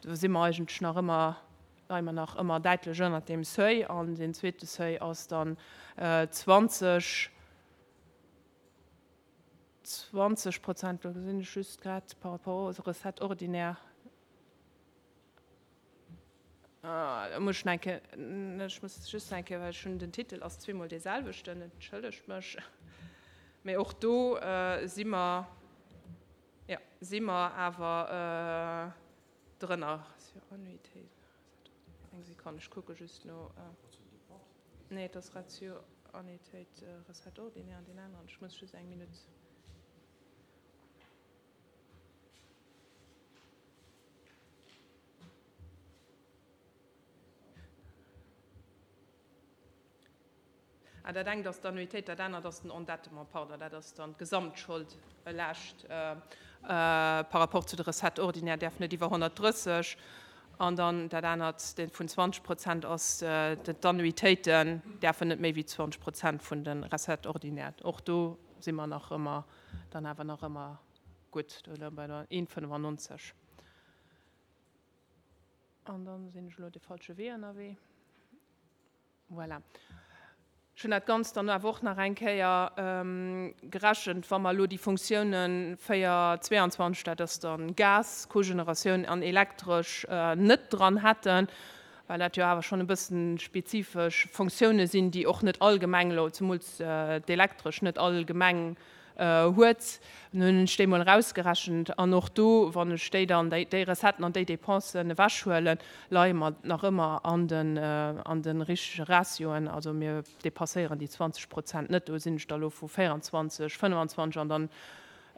Do si mer eigentlech nach ëmmer, leie mer nach ëmmer däitlech ënnert deem Seuil. An deen zweete Seuil ass dann zwanzeg, zwanzeg Prozent, do gesinn ech just grad par rapport aux recettes ordinaires. Ah, da muss ich eng Kéier, ech muss just eng Kéier, well ech hunn den Titel ass zweemol dee selwechten, entschëllegt mech. Mee och do si mer, ja, si mer awer drënner. Annuitéit, eng Sekonn, ech kucke just no. Nee, et ass Ratio Annuitéit, Recette ordinaire an deen aneren. Ech muss just eng Minutt. Ah, dat engt ass d'Annuitéit, dat anert ass den Endettement, pardon, dat ass dann d'Gesamtschold elaascht par rapport zu de Recettes ordinaires däerf net iwwer honnertdrësseg. An dann dat anert, dee vun zwanzeg Prozent ass, d'Annuitéiten däerfen net méi wéi zwanzeg Prozent vun de Recettes ordinaires. Och do si mer nach ëmmer, dann awer nach ëmmer gutt, do leie mer bei der een fënnefannonzeg. An dann sinn ech elo de falsche Wee ënnerwee. Voilà. Ech hunn dat Ganzt dann awer och nach eng Kéier gerechent, wa mer elo déi Funktiounen véier zweiundzwanzeg, dat ass dann Gas, Cogeneratioun an Elektresch, net dran hätten, well dat jo awer schonn e bëssen spezifesch Funktioune sinn, déi och net all Gemeng elo, zemools d'Elektresch, net all Gemeng huet. Dann hunn ech déi mol erausgerechent an och do, wann ech déi dann, déi, déi Recetten an déi Dépensen ewechhuelen, leie mer nach ëmmer an den, an de richtege Ratioen. Also mir dépasséieren déi zwanzeg Prozent net. Do sinn ech da elo vu véieranzwanzeg, fënnefanzwanzeg an dann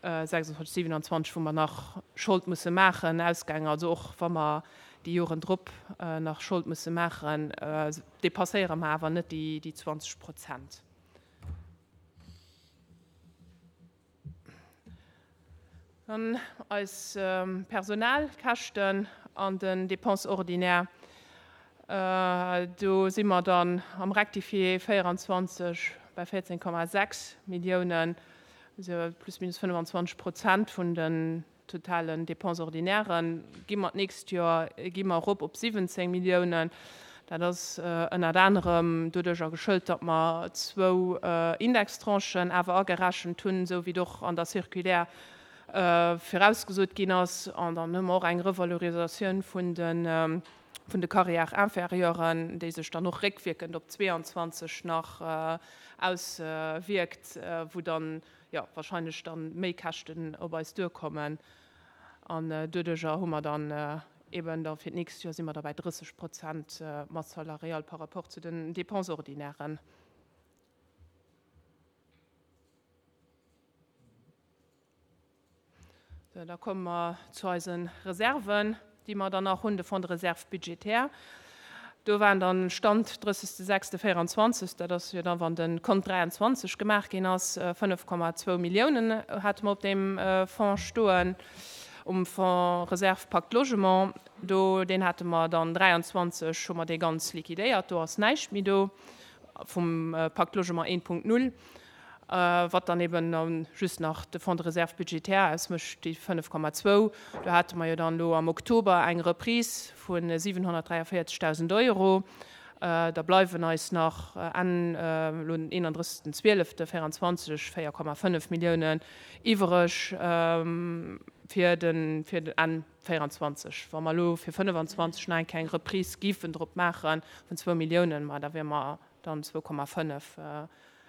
sechsundzwanzeg, siewenundzwanzeg, wou mer nach Schold musse maachen, ausgaangen. Also och wa mer déi Joren drop nach Schold musse maachen, dépasséiere mer awer net déi, déi zwanzeg Prozent. Dann eis Personalkäschten an den Dépenses ordinaires. Do si mer dann am Rectifié véieranzwanzeg bei véierzéng Komma sechs Milliounen, also plus minus fënnefanzwanzeg Prozent vun den totalen Dépenses ordinairen. Gi mer d'nächst Joer, gi mer erop op siwwenzéng Milliounen. Dat ass ënnert anerem doduercher geschëlt, datt mer zwou Indextranchen awer agerechent hunn, esou wéi et och an der Circulaire virausgesot ginn ass. An dann hu mer och eng Revalorisatioun vun de, vun de Carrières inférieuren, déi sech dann och réckwierkend op zweiundzwanzeg nach auswierkt, wou dann, jo, wahrscheinlech dann méi Käschten op eis duerkommen. An doduercher hu mer dann eben da fir d'nächst Joer si mer da bei drësseg Prozent Masse salariale par rapport zu den Dépenses ordinairen. So, da komme mer zu eisen Reserven, déi mer dann nach hunn, de Fonds de réserve budgétaire. Do waren dann Stand drëssegste sechste véieranzwanzeg, dat ass jo dann, wann de Kont dräianzwanzeg gemaach ginn ass, fënnef Komma zwou Milliounen hate mer op deem Fonds stoen. Um Fonds Réserve Pacte Logement, do, deen hate mer dann dräianzwanzeg, hu mer dee ganz liquidéiert, do ass näischt méi do vum Pacte Logement een Punkt null. wat dann eben just nach de Fonds de réserve budgétaire ausmécht, déi fënnef Komma zwou. Do hate mer jo dann elo am Oktober eng Reprise vu siwenhonnertdräiavéierzegdausend Euro. Da bleiwen eis nach Enn elo den eenandrëssegsten zwielefte véieranzwanzeg véier Komma fënnef Milliounen iwwereg fir de fir den Enn véieranzwanzeg. Wa mer elo fir fënnefanzwanzeg nach eng Kéier eng Reprise géifen drop maache vun zwou Milliounen, ma da wiere mer dann zwou Komma fënnef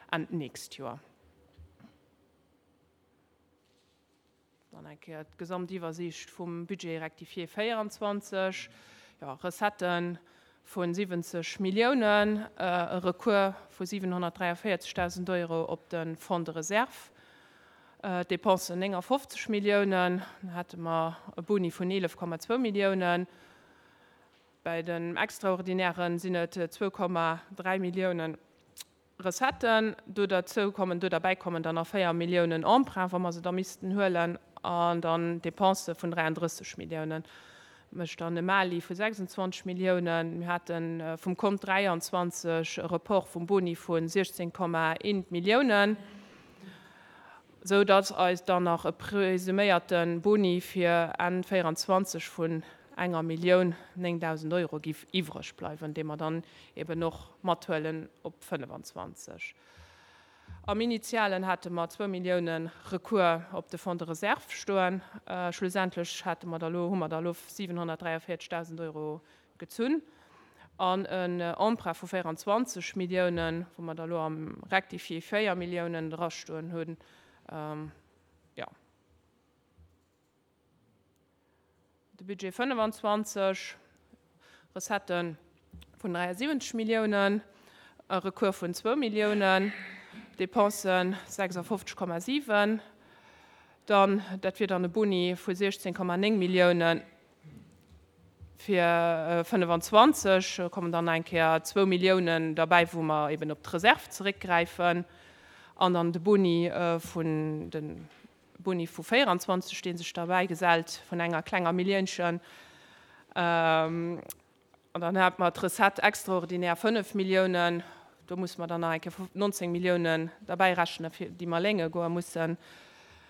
Enn d'nächst Joer. Dann eng Kéier d'Gesamtiwwersiicht vum Budget rectifié véieranzwanzeg. Jo, Recettë vu siwwenzeg Milliounen, e Recours vu siwenhonnertdräiavéierzegdausend Euro op de Fonds de réserve, d'Dépensen néngafofzeg Milliounen, dann hate mer e Boni vun eelef Komma zwou Milliounen. Bei den Extraordinären sinn et zwou Komma dräi Milliounen Recetten. Do derzou kommen, do derbäi kommen dann nach véier Milliounen Emprunt, wa mer se da missten huelen, an dann Dépensë vun dräiandrësseg Milliounen. Mécht dann e Mali vu sechsundzwanzeg Milliounen. Mir hate vum Kont dräianzwanzeg e Report vum Boni vu siechzéng Komma eent Milliounen, esou datt eis dann nach e presuméierte Boni fir Enn véieranzwanzeg vun enger Millioun néngdausend Euro giff iwwreg bleiwen, dee mer dann eben och mathuelen op fënnefanzwanzeg. Am Initialen hate mer zwou Milliounen Recours op de Fonds de réserve stoen. Schlussendlech hate mer da lo, hu mer da lo siwenhonnertdräiavéierzegdausend Euro gezunn an en Emprunt vu véieranzwanzeg Milliounen, wou mer da lo am Rectifié véier Milliounen drastoen hunn. Jo. De Budget fënnefanzwanzeg, Recettë vun dräiasiwwenzeg Milliounen, e Recours vun zwou Milliounen, Dépensen sechsafofzeg Komma siwen, dann, dat wier dann e Boni vu siechzéng Komma néng Milliounen fir fënnefanzwanzeg, kommen dann nach eng Kéier zwou Milliounen derbäi, wou mer eben op d'Reserv zeréckgräifen, an dann de Boni vun de Boni vu véieranzwanzeg, dee sech derbäi gesellt vun enger klenger Milliounchen. An dann hate mer d'Recette extraordinaire fënnef Milliounen. Do musse mer dann nach eng Kéier nonzéng Milliounen derbäi rechnen, fir déi mer lénge goe mussen,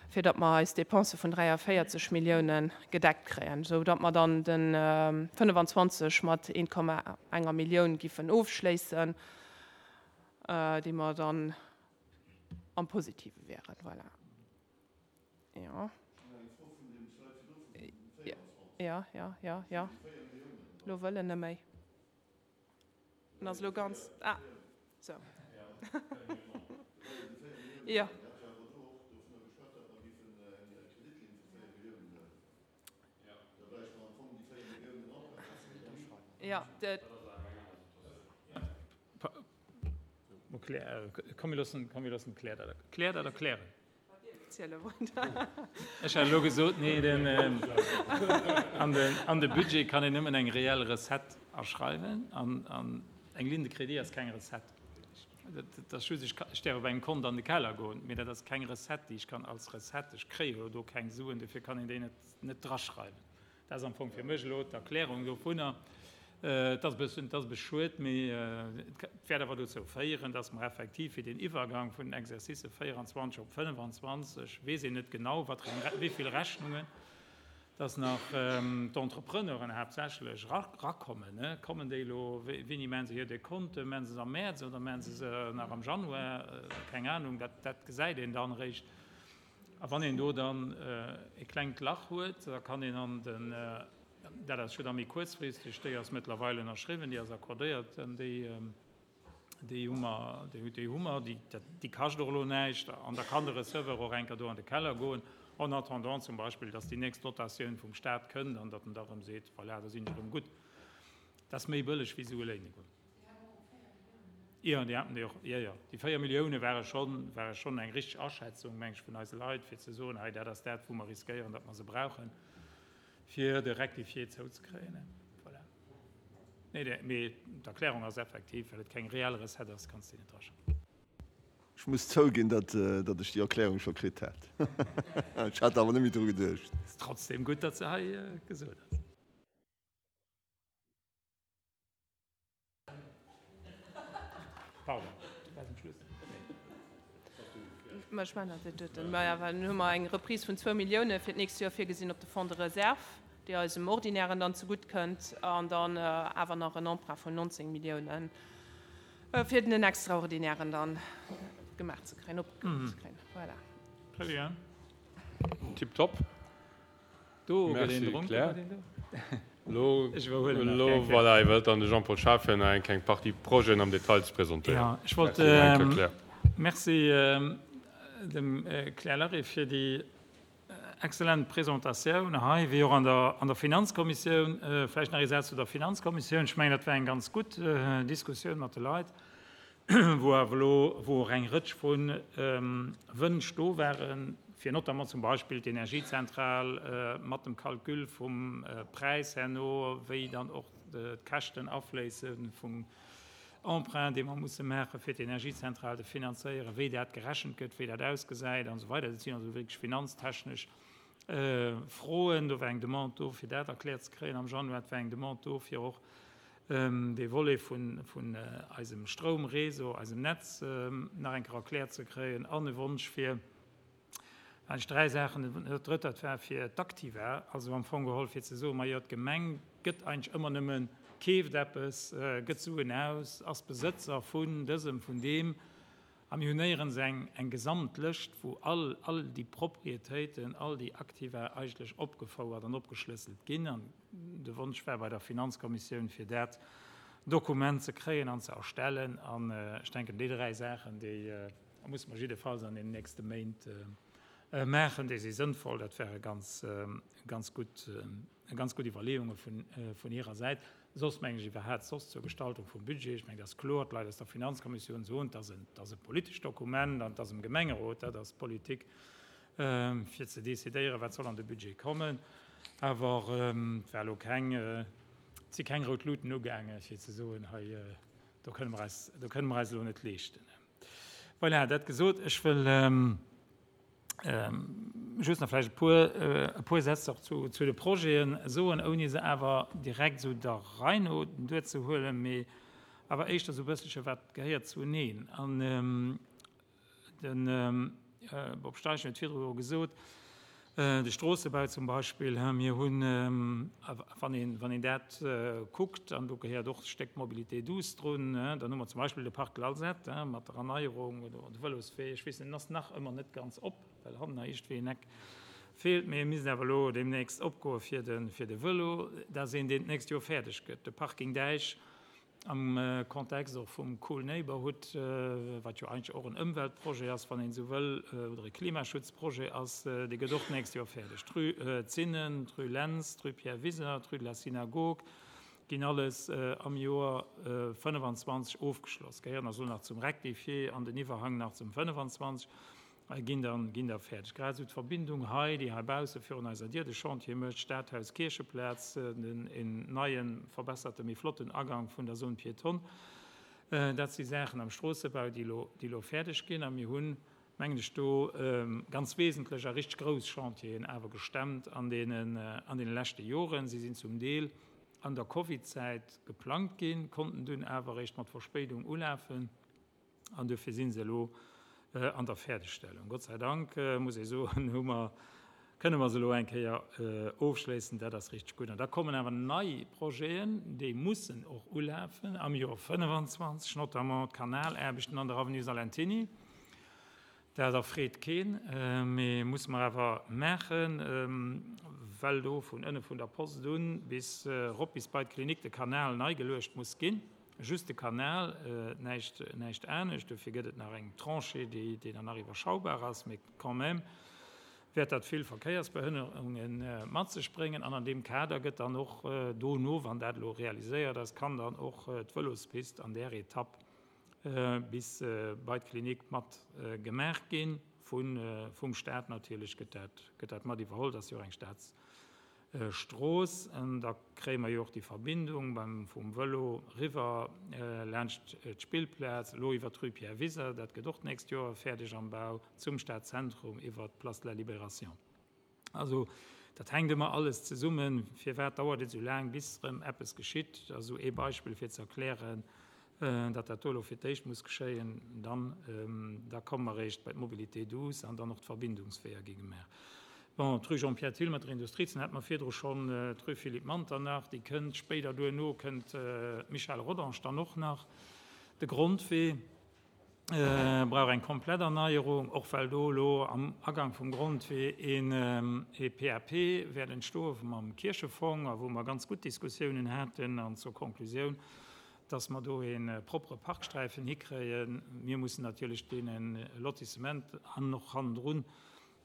fir datt mer eis Dépensë vun dräiavéierzeg Milliounen gedeckt kréien, esou datt mer dann de fënnefanzwanzeg mat eent Komma enger Millioun giffen ofschléissen, déi mer dann am Positive wären. Voilà. Jo. Jo, jo, jo, jo. Elo wëll en net méi. En ass elo ganz. Ah, sou. Jo. Jo, de. Komm, mir loossen, komm, mir loossen d'Claire dat, Claire dat erklären. Ech hat elo gesot, nee, den, an den, an de Budget kann een nëmmen eng reell Recette aschreiwen an, an eng Ligne de crédit ass keng Recette. Dat, dat ass just, ech ka, ech däerf op engem Kont an de Keller goen, mee dat ass keng Recette, déi ech kann als Recette, ech kréie jo do keng Suen, dofir kann een déi net, net draschreiwen. Dat ass am Fong fir mech elo d'Erklärung dovunner. Et ass e bëssen, et ass e bësse schued, mee et wäert awer dozou féieren, dass mer effektiv fir deen Iwwergang vun den Exercicë véieranzwanzeg op fënnefanzwanzeg, weess een net genau, wat fir eng, wéi vill Rechnungen, dass nach d'Entrepreneuren haaptsächlech rakommen. Kommen déi elo, wéini maache se hir Dekonte? Maache se se am Mäerz oder maache se se nach am Januar? Keng Anung, dat, dat gesäit een dann eréischt. A wann een do dann e klengt Lach huet, da kann een an den, dat ass jo da méi kuerzfristeg, déi ass mëttlerweil ënnerschriwwen, déi ass accordéiert, déi, déi hu mer, déi hu mer, déi, déi kascht och elo näischt. An da kann de Receveur och enker do an de Keller goen, en attendant zum Beispill, dass déi nächst Dotatioun vum Stat kënnt an datt en da erëm seet, voilà, da sinn ech erëm gutt. Dat ass méi bëlleg wéi Sue léine goen. Jo, déi haten déi och, jo, jo. Déi véier Millioune ware schonn, ware schonn eng richteg Aschätzung, meng ech, vun eise Leit, fir ze soen, hei, dat ass dat, wou mer riskéieren, datt mer se brauchen, fir de Rectifié zouzekréien. Voilà. Nee, dee, mee d'Erklärung ass effektiv, well et keng reell Recette ass, kanns de déi net draschreiwen. Ech muss zouginn, datt, datt ech déi Erklärung scho kritt hat. Ech hat awer net méi dru geduecht. Ass trotzdem gutt, datt se hei gesot ass. Pardon, du waars um Schluss. Ma ech mengen, dat doten. Maja, well dann hu mer eng Reprise vun zwou Millioune fir d'nächst Joer virgesinn op de Fonds de réserve, déi eisem Ordinären dann zegutt kënnt, an dann awer nach en Emprunt vun neunzéng Milliounen, fir den Extraordinären dann gemaach ze kréien, opgemaach ze kréien. Voilà. Très bien. Tiptop. Do gëtt een Merci, dronken, Claire. wat een do. Elo, Ech iwwerhuelen nach elo, eng Kéier. voilà, iwwerhëlt dann de Jean-Paul Schaaf, fir nach eng kleng Partie Projeten am Detail ze presentéieren. Ja, ech wollt, Merci nach eng Kéier, Claire. Merci dem Claire Larry fir déi excellent Presentatioun hei, wéi och an der, an der Finanzkommissioun. Vläicht nach ee Saz zu der Finanzkommissioun. Ech mengen, dat war eng ganz gutt Diskussioun mat de Leit, wou awer elo, wou och eng Rëtsch vu Wënsch do waren, fir notamment zum Beispill d'Energiezentral mat dem Calcul vum Präis herno, wéi dann och d'Käschten afléisse vum Emprunt, dee mer musse maachen, fir d'Energiezentral ze finanzéieren, wéi dat gerechent gëtt, wéi dat ausgesäit an esou weider. Dat sinn also wierklech finanztechnesch Froen. Do war eng Demande do, fir dat erkläert ze kréien am Januar. Et war eng Demande do, fir och dee Volet vun, vun eisem Stroumréseau, eisem Netz nach eng Kéier erkläert ze kréien an e Wonsch fir eigentlech dräi Saachen. Dat Drëtt, dat war fir d'Aktiva, also am Fong geholl fir ze soen, majo, d'Gemeng gëtt eigentlech ëmmer nëmmen, keeft eppes, gëtt Suen aus, ass Besëtzer vun dësem, vun deem. A mir hunn néierens eng, eng Gesamtlëscht, wou all, all déi Propriétéiten, all déi Aktiva eigentlech opgefouert an opgeschlësselt ginn. An de Wonsch war bei der Finanzkommissioun, fir dat Dokument ze kréien an ze erstellen. An ech denken, déi dräi Saachen, déi musse mer jiddefalls an den nächste Méint maachen. Déi si sënnvoll. Dat wäre ganz, ganz gutt, ganz gutt Iwwerleeunge vun, vun hirer Säit. Soss mengen ech iwwerhaapt soss zur Gestaltung vum Budget, ech mengen, dat ass kloer, d'Leit aus der Finanzkommissioun soen, dat ass en, dat ass e politescht Dokument an dat ass um Gemengerot, dat ass Politik, fir ze decidéieren, wat soll an de Budget kommen. Awer et war elo keng, et si keng rout Luten ugaangen, fir ze soen, hei, do kënne mer eis, do kënne mer eis elo net leeschten. Voilà, dat gesot, ech wëll just nach vläicht e puer, e puer Sätz och zu, zu de Projeten soen, ouni se awer direkt esou der Rei no duerzehuelen, mee awer éischter esou e bësselche wat gehéiert zuneen. An de Bob Steichen huet virdru jo gesot, de Stroossebau zum Beispill, mir hunn, wann een, wann een dat kuckt, an do gehéiert och e Stéck Mobilité douce drun, dann hu mer zum Beispill de Parc de l'Alzette mat der Erneierung oder de Vëloswee, ech weess net, en ass nach ëmmer net ganz op, well hannen nach iergendwéi en Eck feelt, mee e misst awer elo deemnächst opgoe fir de, fir de Vëlo. Dat ass een, deen d'nächst Joer fäerdeg gëtt. De Parking Däich am Kontext och vum Cool Neighborhood, wat jo eigentlech och en Ëmweltprojet ass, wann een esou wëll, oder e Klimaschutzprojet ass, dee gëtt och d'nächst Joer fäerdeg. D'Rue Zinnen, d'Rue Lentz, d'Rue Pierre Wisener, d'Rue de la Synagogue ginn alles am Joer fënnefenzwanzeg ofgeschloss, gehéieren also nach zum Rectifié an den Iwwerhang nach zum fënnefenzwanzeg, ginn dann, ginn da fäerdeg. Grad esou d'Verbindung hei, déi heibausse virun eiser Dier de Chantier mécht, Stadhaus, Kiercheplaz, den en neien, verbesserten, méi flotten Agang vun der Zone piétonne. Dat si Saachen am Stroossebau, déi elo, déi elo fäerdeg ginn. A mir hunn, mengen ech, do ganz wesentlech a richteg grouss Chantieren awer gestemmt an deenen, an deene leschte Joren. Si sinn zum Deel an der Covid-Zäit geplangt ginn, konnten dunn awer eréischt mat Verspéidung ulafen an dofir si se elo an der Fäerdegstellung. Gott sei Dank, muss ee soen, hu mer, kënne mer se elo eng Kéier ofschléissen. Dat ass richteg gutt. An da kommen awer nei Projeten, déi mussen och ulafen am Joer fënnefenzwanzeg, notamment d'Kanalaarbechten an der Avenue Salentiny. Dat erfreet keen, mee muss mer awer maachen, well do vun ënne vun der Post un bis erop bis bei d'Klinik de Kanal nei geluecht muss ginn. Just de Kanal, näischt, näischt anescht. Dofir gëtt et nach eng Tranchée, déi, déi dann nach iwwerschaubar ass, mee quand même wäert dat vill Verkéiersbehënnerunge mat sech bréngen. An an deem Kader gëtt dann och dono, wann dat elo realiséiert ass, kann dann och d'Vëlospist an där Etapp bis bei d'Klinik mat gemaach ginn. Vun, vum Staat natierlech gëtt dat, gëtt dat mat iwwerholl, dat ass jo och eng Staatsstrooss. An da kréie mer jo och déi Verbindung beim, vum Vëlo riwwer laanscht d'Spillplaz, elo iwwer d'Rue Pierre Wiser, dat gëtt och d'nächst Joer fäerdeg am Bau, zum Stadzentrum iwwer d'Place de la Libération. Also dat hänkt ëmmer alles zesummen. Firwat dauert et esou laang, bis erëm eppes geschitt? Also ee Beispill fir ze erklären, datt dat do elo fir d'éischt muss geschéien, dann da komme mer eréischt bei d'Mobilité douce an dann och d'Verbindungsweeër gi gemaach. Bon, d'Rue Jean-Pierre Thill mat der Industriezon hate mer virdru schonn, d'Rue Philippe Manternach, déi kënnt spéider, duerno kënnt d'Michel Rodange dann och nach. De Grondwee brauch eng komplett Erneierung, och well do elo am Agang vum Grondwee een ee P A P wäert entstoe mam Kierchefong a wou mer ganz gutt Diskussiounen haten an zur Konklusioun, dass mer do ee proppere Parksträifen hikréien. Mir mussen natierlech deene Lotissement an och hannendrun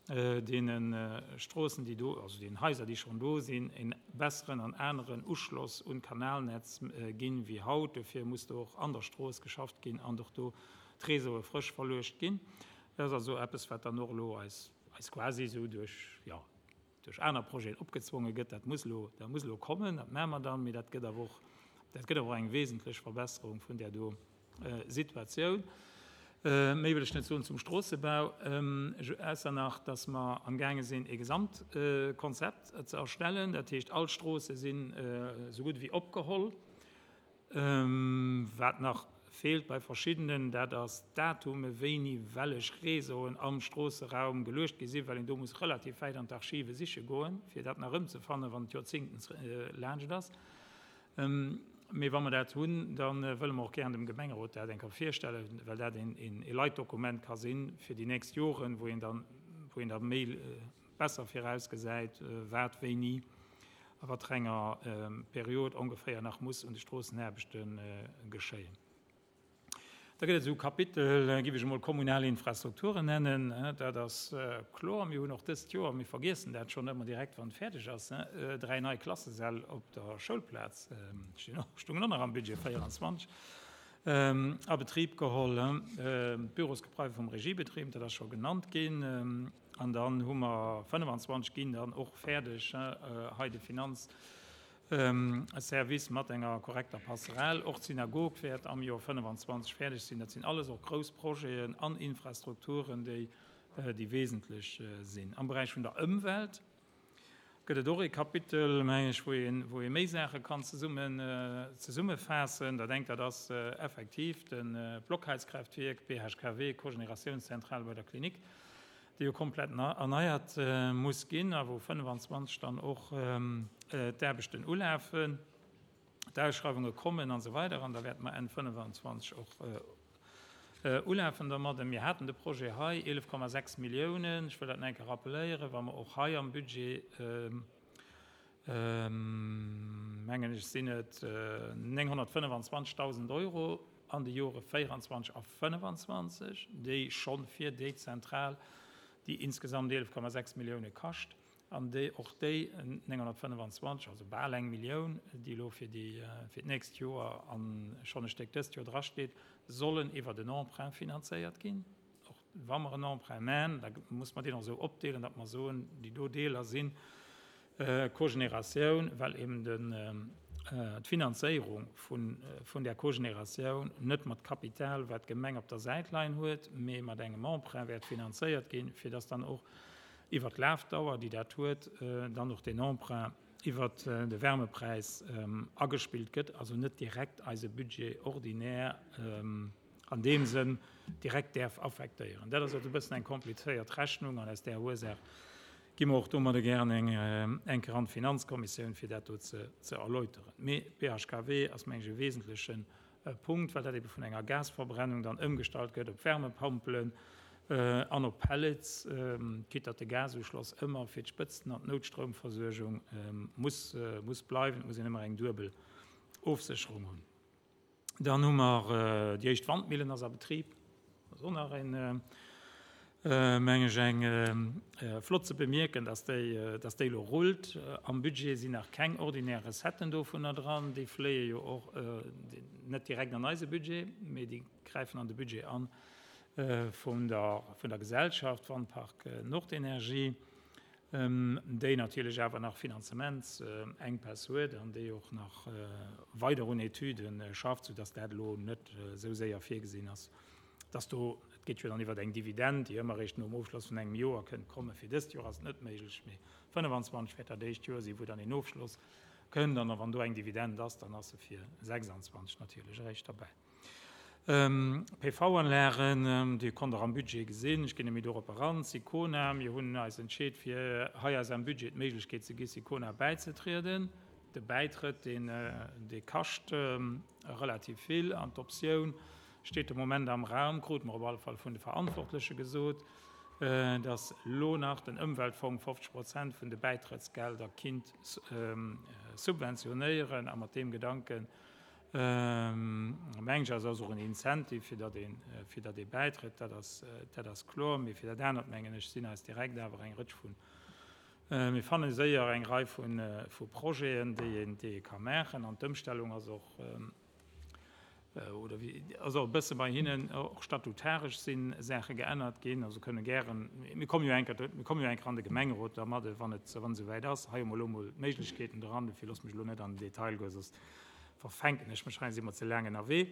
deene Stroossen, déi do, also deenen Haiser, déi schonn do sinn, e besseren an aneren Uschloss un d'Kanalnetz ginn wéi haut. Dofir muss do och an der Strooss geschafft ginn an och do d'Réseaue frësch verluecht ginn. Dat ass also eppes, wat dann och elo eis, eis quasi esou duerch, jo, duerch aner Projeten opgezwonge gëtt. Dat muss elo, dat muss elo kommen, dat maache mer dann, mee dat gëtt awer och, dat gëtt awer och eng wesentlech Verbesserung vun där do Situatioun. Méi wëll ech net soen zum Stroossebau, ausser nach, dass mer amgaange sinn, e Gesamtkonzept ze erstellen. Dat heescht, all Stroosse sinn esou gutt ewéi opgeholl. Wat nach feelt bei verschiddenen, dat ass d'Datume wéini wellech Réseauen am Stroosseraum geluecht gi sinn, well een do muss relativ wäit an d'Archive siche goen, fir dat nach erëmzefannen, wann et Joerzéngten laanscht ass. Mee wa mer dat hunn, da wëlle mer och gären dem Gemengerot dat eng Kéier virstellen, well dat een Leitdokument ka sinn fir déi nächst Joren, wou een dann, wou een da méi besser virausgesäit, wat wéini a wat fir enger Period ongeféier nach muss un de Stroossenaarbechte geschéien. Da gëtt et esou Kapitel, géif ech emol kommunal Infrastrukturen nennen. Dat ass kloer. Mir hunn och dëst Joer, mir vergiessen dat schonn ëmmer direkt, wann et fäerdeg ass, dräi nei Klassesäll op der Schoulplaz, stinn och, stungen och nach am Budget véieranzwanzeg, a Betrib geholl. D'Bürosgebaier vum Regiebetrib, dat ass scho genannt ginn. An dann hu mer fënnefanzwanzeg ginn dann och fäerdeg hei de Finanz. Service mat enger korrekter Passerelle. Och d'Synagog wäert am Joer fënnefanzwanzeg fäerdeg sinn. Dat sinn alles och grouss Projeten an Infrastrukturen, déi déi wesentlech sinn. Am Beräich vun der Ëmwelt gëtt et och ee Kapitel, meng ech, wou een, wou ee méi Saache kann zesummen, zesummefaassen. Dat engt, dat ass effektiv de Blockheizkraftwierk, B H K W, Cogeneratiounszentral bei der Klinik, déi jo komplett erneiert muss ginn a wou fënnefanzwanzeg dann och d'Aarbechten ulafen, d'Ausschreiwunge kommen an esou weider an da wäerte mer Enn fënnefanzwanzeg och ulafen domadden. Mir haten de Projet hei, eelef Komma sechs Milliounen, ech wëll dat nach eng Kéier rappelléieren, wa mer och hei am Budget, mengen ech, sinn et nénghonnertfënnefenzwanzegdausend Euro an de Jore véieranzwanzeg a fënnefanzwanzeg, déi schonn fir déi Zentral, déi insgesamt eelef Komma sechs Millioune kascht, an déi och déi nénghonnertfënnefenzwanzeg, also bal eng Millioun, déi elo fir déi fir d'nächst Joer a schonn e Stéck dëst Joer drasteet, sollen iwwert en Emprunt finanzéiert ginn. Och wa mer en Emprunt man, da muss mer deen och esou opdeelen, datt mer soen, déi do Deeler sinn Cogénératioun, well eben den d'Finanzéierung vun vun där Cogénératioun net mat Kapital, wat d'Gemeng op der Säit leien huet, mee mat engem Emprunt wäert finanzéiert ginn, fir dass dann och iwwert d'Lafdauer, déi dat huet, dann och deen Emprunt iwwert de Wärmepräis agespillt gëtt, also net direkt eise Budget ordinaire an deem Sënn direkt däerf affektéieren. Dat ass also e bëssen eng komplizéiert Rechnung an aus där Ursaach gi mer och domadder gären eng eng Kéier an d'Finanzkommissioun, fir dat do ze ze erläuteren. Mee B H K W ass, meng ech, e wesentleche Punkt, well dat ebe vun enger Gasverbrennung dann ëmgestallt gëtt op Wärmepompelen an op Pellets, quitte datt de Gasuschloss ëmmer fir d'Spëtzten an d'Noutstroumversuergung muss muss bleiwen. Et muss een ëmmer eng duebel Ofsécherung hunn. Dann hu mer déi éischt Wandmillen ass a Betrib. Dat ass och nach een, meng ech, eng flott ze bemierken, dass déi, dass déi elo rullt. Am Budget sinn nach keng ordinär Recetten dovunner dran. Déi fléie jo och net direkt an eise Budget, mee déi gräifen an de Budget an vun der, vun der Gesellschaft Wandpark Nordenergie, déi natierlech awer nach Finanzementsenkpäss huet an déi och nach weider un Etüde schafft, soudass dat elo net esou séier virgesinn ass, dass do, et geet jo dann iwwer eng Dividend, déi ëmmer eréischt nom Ofschloss vun engem Joer kënnt kommen. Fir dëst Joer ass et net méiglech, mee fënnefenzwanzeg wäert dat éischt Joer sinn, wou dann een Ofschloss kënnt. An wann do eng Dividend ass, dann ass se fir sechsanzwanzeg natierlech eréischt derbäi. P V-Anlagen, déi konnt Der am Budget gesinn, ech ginn net méi dorop eran. Sicona, mir hunn eis entscheet, fir hei eis am Budget d'Méiglechkeet ze gi Sicona bäizetrieden. De Bäitrëtt, deen, dee kascht relativ vill an d'Optioun steet de Moment am Raum, krute mer op alle Fall vun de Verantwortleche gesot, dass elo nach den Ëmweltfong fofzeg Prozent vun de Bäitrëttsgelder kinnt subventionéieren a mat deem Gedanken, mengen ech, ass och en Incentive, fir datt een, fir datt ee bäitrëtt, dat ass, dat ass kloer. Mee fir dat anert, mengen ech, sinn eis direkt awer eng Rëtsch vun, mir fanne séier eng Rei vu, vu Projeten, déi een, déi ee ka maachen. An d'Ëmstellung ass och, oder wéi, ass och e bësse bei hinnen, och statutaresch si Saache geännert ginn. Also kënne gären, mir komme jo eng Kéier, mir komme jo eng Kéier an de Gemengerot dermadde, wann et, wann et esouwäit ass. Hei hu mer elo emol d'Méiglechkeeten dran, dofir loosse mech elo net an den Detail goen, soss verfänken ech mech hei, si mer ze laang ënnerwee.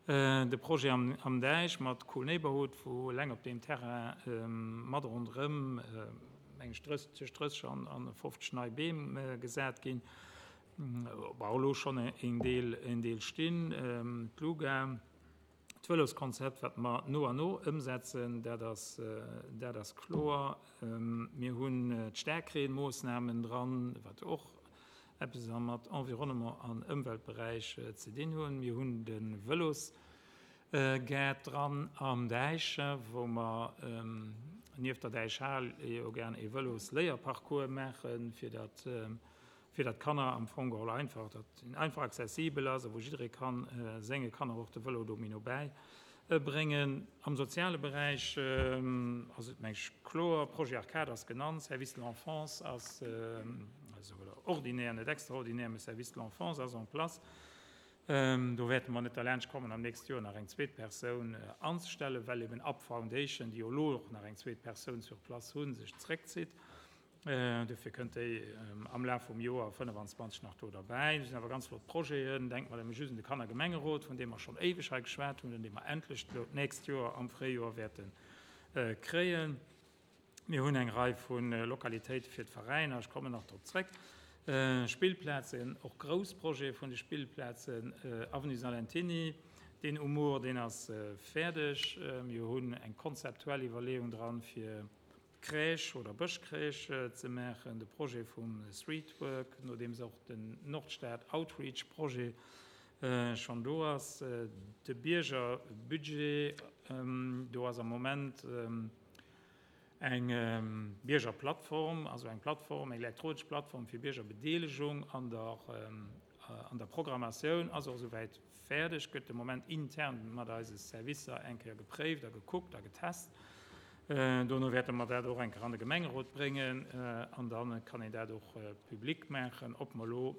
De Projet am, am Däich mat Cool Neighborhood, wou eleng op deem Terrain mat ronderëm, meng ech, tëscht drësseg an, an fofzeg nei Beem gesat ginn, war elo schonn een Deel, een Deel stinn. D'Luga, d'Vëloskonzept, wat mer no an no ëmsetzen, dat ass, dat ass kloer. Mir hunn d'Staarkreenmoossnamen dran, wat och eppes mat Environnement an Ëmweltberäich ze dinn hunn. Mir hunn de Vëlosgaart dran am Däich, wou mer nieft der Däichhal jo gären ee Vëlosléierparcours maachen, fir datt fir datt d'Kanner am Fong geholl einfach, datt en einfach accessibel ass a wou jidderee kann senge Kanner och de Vëlo do méi no bäi bréngen. Am soziale Beräich ass et, meng ech, kloer, Projet Arcade ass genannt, Service de l'enfance ass, also ordinaire, net extraordinaire, mä Service de l'enfance ass en place. Do wäerte mer net derlaanscht kommen, am nächste Joer nach eng zweet Persoun anzestellen, well eben Up Foundation, déi jo elo och nach eng zweet Persoun sur place hunn, sech zréckzitt. Dofir kënnt déi am Laf vum Joer fënnefenzwanzeg nach do derbäi. Do sinn awer ganz flott Projeten. Denke mer nëmme just un de Kannergemengerot, vun deem mer schonn éiweg hei geschwat hunn an dee mer endlech elo d'nächst Joer am Fréijoer wäerte kréien. Mir hunn eng Rei vu Lokalitéite fir d'Veräiner, ech kommen nach drop zréck, Spillplazen, och grouss Projete vun de Spillplazen, Avenue Salentiny, deen Umour, deen ass fäerdeg. Mir hunn eng konzeptuell Iwwerleeung dran, fir Crèche oder Bëschcrèche ze maachen, de Projet vum Streetwork, nodeems och den Nordstad Outreach Projet schonn do ass, de Biergerbudget, do ass am Moment eng Biergerplattform, also eng Plattform, eng elektronesch Plattform fir Biergerbedeelegung an der an der Programmatioun, ass och esouwäit fäerdeg, gëtt de Moment intern mat eise Servicer eng Kéier gepréift a gekuckt a getest. Dono wäerte mer dat och eng Kéier an de Gemengerot bréngen an da kann een dat och public maachen, ob mer elo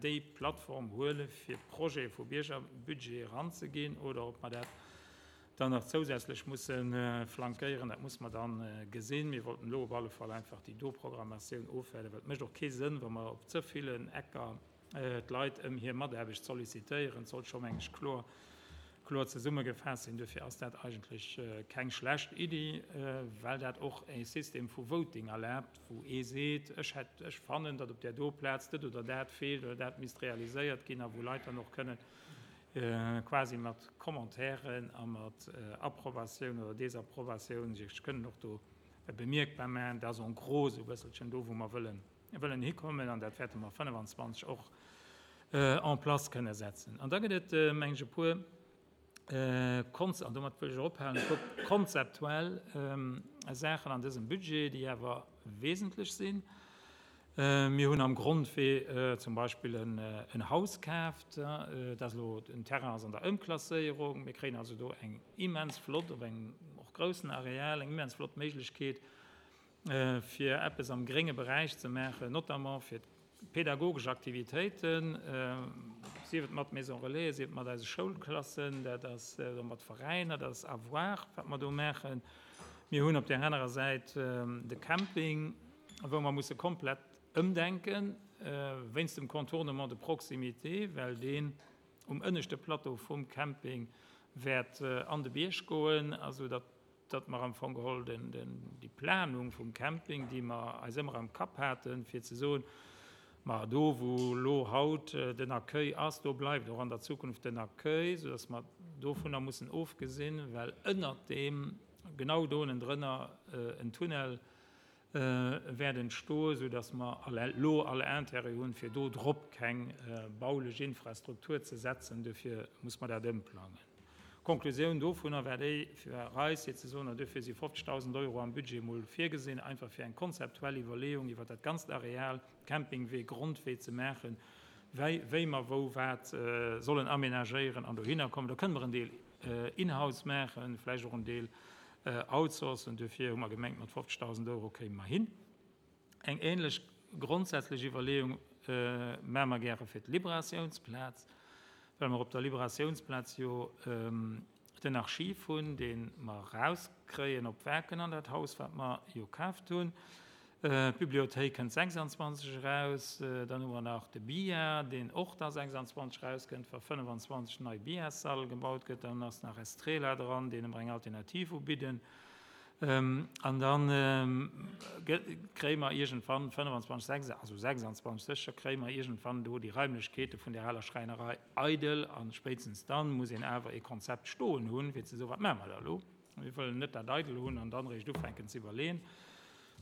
déi Plattform huele fir Projete vu Biergerbudget eranzeginn oder ob mer dat dann nach zousätzlech musse flankéieren. Dat muss mer da gesinn. Mir wollten elo op alle Fall einfach déi do Programmatioun ofwaarden, well et mécht och kee Sënn, wa mer op ze villen Ecker d'Leit ëm hir Mataarbecht sollicitéieren. Et sollt scho, meng ech, kloer kloer zesummegefaasst sinn. Duerfir ass dat eigentlech keng schlecht Iddi, well dat och e System vu Voting erlaabt, wou ee seet, ech hätt, ech fannen, datt op där do Plaz dat oder dat feelt oder dat misst realiséiert ginn a wou Leit dann och kënnen quasi mat Commentairen a mat Approbatioun oder Desapprobatioun sech kënnen och do bemierkbar maachen. Dat ass en gros esou e bësselchen do, wou mer wëllen, wëllen hikommen an dat wäerte mer fënnefenzwanzeg och en place kënne setzen. An da gëtt et, meng ech, e puer Konz, an domat wëll ech och ophalen, e puer konzeptuell Saachen an dësem Budget, déi awer wesentlech sinn. Mir hunn am Grondwee zum Beispill en Haus kaaft. Dat ass elo, den Terrain ass an der Ëmklasséierung. Mir kréien also do eng immens flott, op engem och groussen Areal, eng immens flott Méiglechkeet, fir eppes am grénge Beräich ze maachen, notamment fir d'pädagogesch Aktivitéiten, sief et mat Maison Relais, sief et mat eise Schoulklassen, dat ass, oder mat Veräiner, dat ass à voir, wat mer do maachen. Mir hunn op där anerer Säit de Camping, wou mer musse komplett ëmdenken, wéinst dem Contournement de proximité, well deen um ënneschte Plateau vum Camping wäert an de Bierg goen, also datt datt mer am Fong geholl den, den, déi Planung vum Camping, déi mer eis ëmmer am Kapp haten, fir ze soen, Ma do, wou elo haut den Accueil ass, do bleift och an der Zukunft den Accueil, soudass mer dovunner mussen ofgesinn, well ënnert deem, genau do ënnendrënner, en Tunnel wäert entstoen, soudass mer elo all Intérêt hunn, fir do drop keng baulech Infrastruktur ze setzen. Dofir muss mer dat ëmplangen. D'Konklusioun dovunner war déi, fir eis fir ze soen, duerfir si fofzegdausend Euro am Budget emol virgesinn, einfach fir eng konzeptuell Iwwerleeung iwwer dat ganzt Areal, Campingwee, Grondwee ze maachen, wéi, wéi mer wou wat sollen aménagéieren an dohinner kommen. Do kënne mer en Deel in-house maachen, vläicht och en Deel outsourcen. Duerfir hu mer gemengt, mat fofzegdausend Euro kéime mer hin. Eng ähnlech grondsätzlech Iwwerleeung maache mer gäre fir d'Liberatiounsplaz, well mer op der Liberatiounsplaz jo den Archiv hunn, dee mer erauskréien op Werken an dat Haus, wat mer jo kaaft hunn. D'Bibliothéik kënnt sechsandzwanzeg eraus. Dann hu mer nach de B I A, deen och da sechsandzwanzeg erauskënnt, wa fënnefenzwanzeg nei B I A-Sall gebaut gëtt. Dann ass nach Estrela dran, deene mer eng Alternativ ubidden. An dann kréie mer iergendwann fënnefenzwanzeg, sechs, also sechsandzwanzeg sécher, kréie mer iergendwann do déi Raimlechkeete vun der aler Schräinerei eidel. An spéitstens dann muss een awer e Konzept stoen hunn, fir ze soen, wat maache mer da elo? Mir wëllen net dat eidel hunn an dann eréischt ufänken ze iwwerleeën.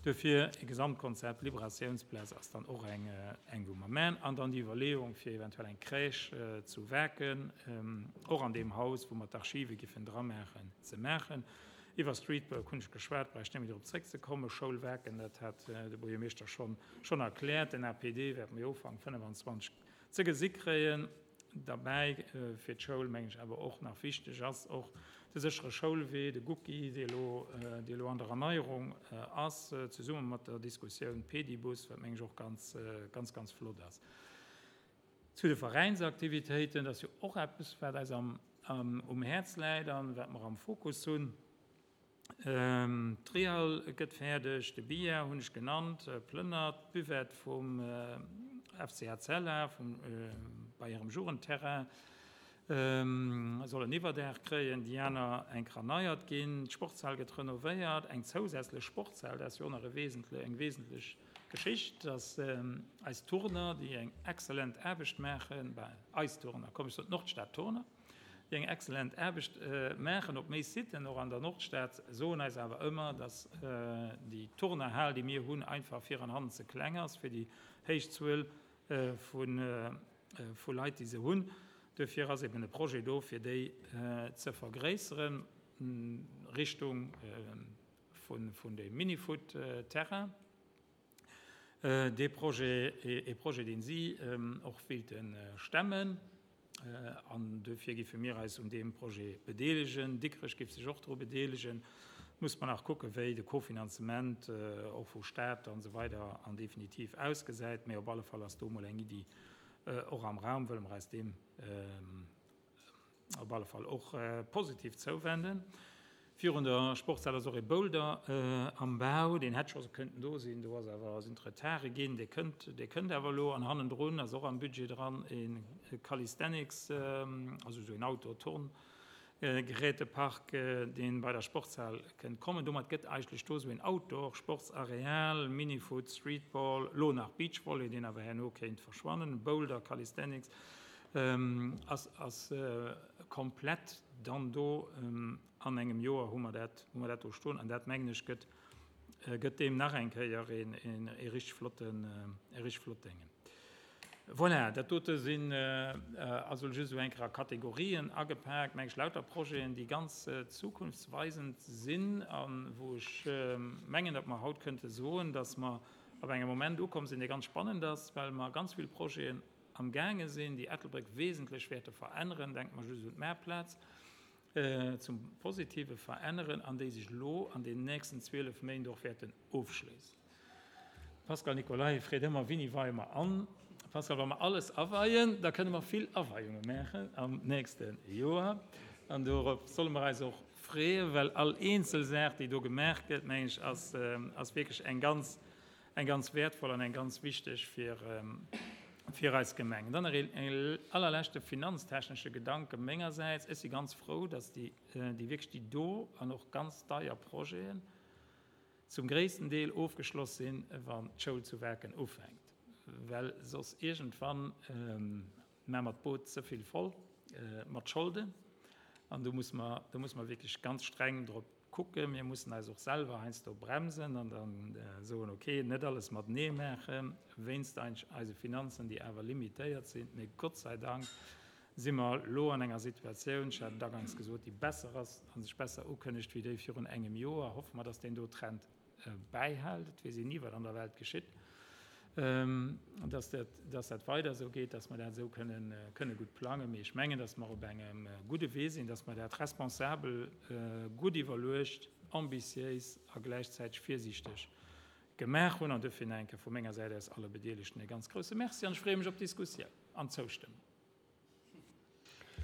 Dofir e Gesamtkonzept, Liberatiounsplaz ass dann och eng, eng wou mer maachen. An dann déi Iwwerleeung fir eventuell eng Crèche zu Werken, och an deem Haus, wou mer d'Archive giffen dra maachen, ze maachen. Iwwer Streetwork hunn ech geschwat, brauch ech net méi drop zréckzekommen. Schoulwerken, dat hat de Buergermeeschter schonn, schonn erkläert. Den A P D wäerte mir Ufank fënnefenzwanzeg ze gesi kréien. Dabei fir d'Schoul, mengen ech, awer och nach wichteg ass och de séchere Schoulwee, de Gucki, dee elo, dee elo an der Erneierung ass, zesumme mat der Diskussioun Pedibus, wat mengen ech och ganz, ganz, ganz flott ass. Zu de Veräinsaktivitéiten, dat ass jo och eppes, wat eis am, am, um Häerz läit an wat mer am Fokus hunn. D'Trial gëtt fäerdeg, de B I A hunn ech genannt, Plënnert, d'Buvette vum F C H Z L A, vum, bei hirem Jugendterrain, soll en Iwwerdaach kréien, déi aner eng erneiert ginn, d'Sportshal gëtt renovéiert, eng zousätzlech Sportshal, dat ass jo och nach e wesentle-, eng wesentlech Geschicht, dass eis Turner, déi eng exzellent Aarbecht maachen, bei eis Turner, komm ech soen d'Nordstad-Turner, déi eng exzellent Aarbecht maachen op méi Siten, och an der Nordstad, soen eis awer ëmmer, dass déi Turnerhal, déi mir hunn, einfach fir an hannen ze kleng ass, fir déi héich Zuel vu, vu Leit, déi se hunn. Dofir ass eben e Projet do, fir déi ze vergréisseren, Richtung vun, vun dem Minifoot-Terrain. Dee Projet, e Projet, deen si och wéilten stemmen. An dofir giffe mir eis un deem Projet bedeelegen. Dikrech giff sech och dru bedeelegen. Muss man nach kucken, wéi de Kofinanzement och vu Staat an so weider an definitiv ausgesäit. Mee op alle Fall ass do mol eng Iddi och am Raum, wëlle mer eis deem op alle Fall och positiv zouwenden. Virun der Sportshal ass och e Boulder am Bau, deen hätt scho kënnten do sinn, do ass awer sinn Retarde ginn, dee kënnt, dee kënnt awer elo an hannendrun ass och am Budget dran e Calisthenics, also so en Outdoor-Turn, Gerätepark, deen bei der Sportshal kënnt kommen. Domat gëtt eigentlech do so en Outdoor-Sportsareal, Minifoot, Streetball, lo nach Beachvolley, deen awer herno kéint verschwannen, Boulder, Calisthenics, ass, ass komplett dann do an engem Joer hu mer dat, hu mer dat do stoen. An dat mengen ech gëtt, gëtt deem nach eng Kéier een, een, e richtig flotten, e richtig flott Dingen. Voilà, dat dote sinn, also just so eng Kéier Kategorien agepaakt, meng ech lauter Projeten, déi ganz zukunftsweisend sinn an wou ech mengen, datt mer haut könnte soen, datt mer op engem Moment ukomm sinn, dee ganz spannend ass, well mer ganz vill Projeten am Gange sinn, déi Ettelbréck wesentlech wäerte veränneren, denkt man just un d'Meerplaz, zum Positive veränneren, an déi sech lo an den nächsten zwielef Méint och wäerten ofschléissen. Pascal Nicolay freet ëmmer, wéini weie mer an? Pascal, wa mer alles aweien, da kënne mer vill Aweiunge maachen am nächsten Joer. An dorop solle mer eis och freeën, well all eenzel Saach, déi do gemaach gëtt, meng ech, ass, ass wierklech eng ganz, eng ganz wertvoll an eng ganz wichteg fir, fir eis Gemeng. Dann nach een, een allerletzte finanztechnische Gedanke mengerseits. Ech si ganz froh, dass déi, déi wierklech déi do an och ganz deier Projeten zum gréissten Deel ofgeschloss sinn, wann d'Schoul zu Werken ufänkt. well soss iergendwann maache mer d'Boot ze vill voll mat Scholden. An do muss mer, do muss mer wierklech ganz streng drop kucken. Mir mussen eis och selwer heiansdo bremsen an dann soen, okay, net alles matenee maachen, wéinst eise Finanzen, déi awer limitéiert sinn. Mee Gott sei Dank si mer elo an enger Situatioun, ech hat et aganks gesot, déi besser ass a sech besser ukënnegt wéi déi virun engem Joer. Hoffe mer, dass deen do Trend bäihält. Et weess een ni, wat an der Welt geschitt, dass dat, dass dat weider esou geet, dass mer dat esou kënnen, kënne gutt plangen. Mee ech mengen, dass mer op engem gudde Wee sinn, dass mer dat responsabel, gutt iwwerluecht, ambitiéis a gläichzäiteg virsiichteg gemaach hunn. An dofir nach eng Kéier vu menger Säit aus alle Bedeelegten e ganz grouse Merci an ech freeë mech op d'Diskussioun an d'Zoustëmmung.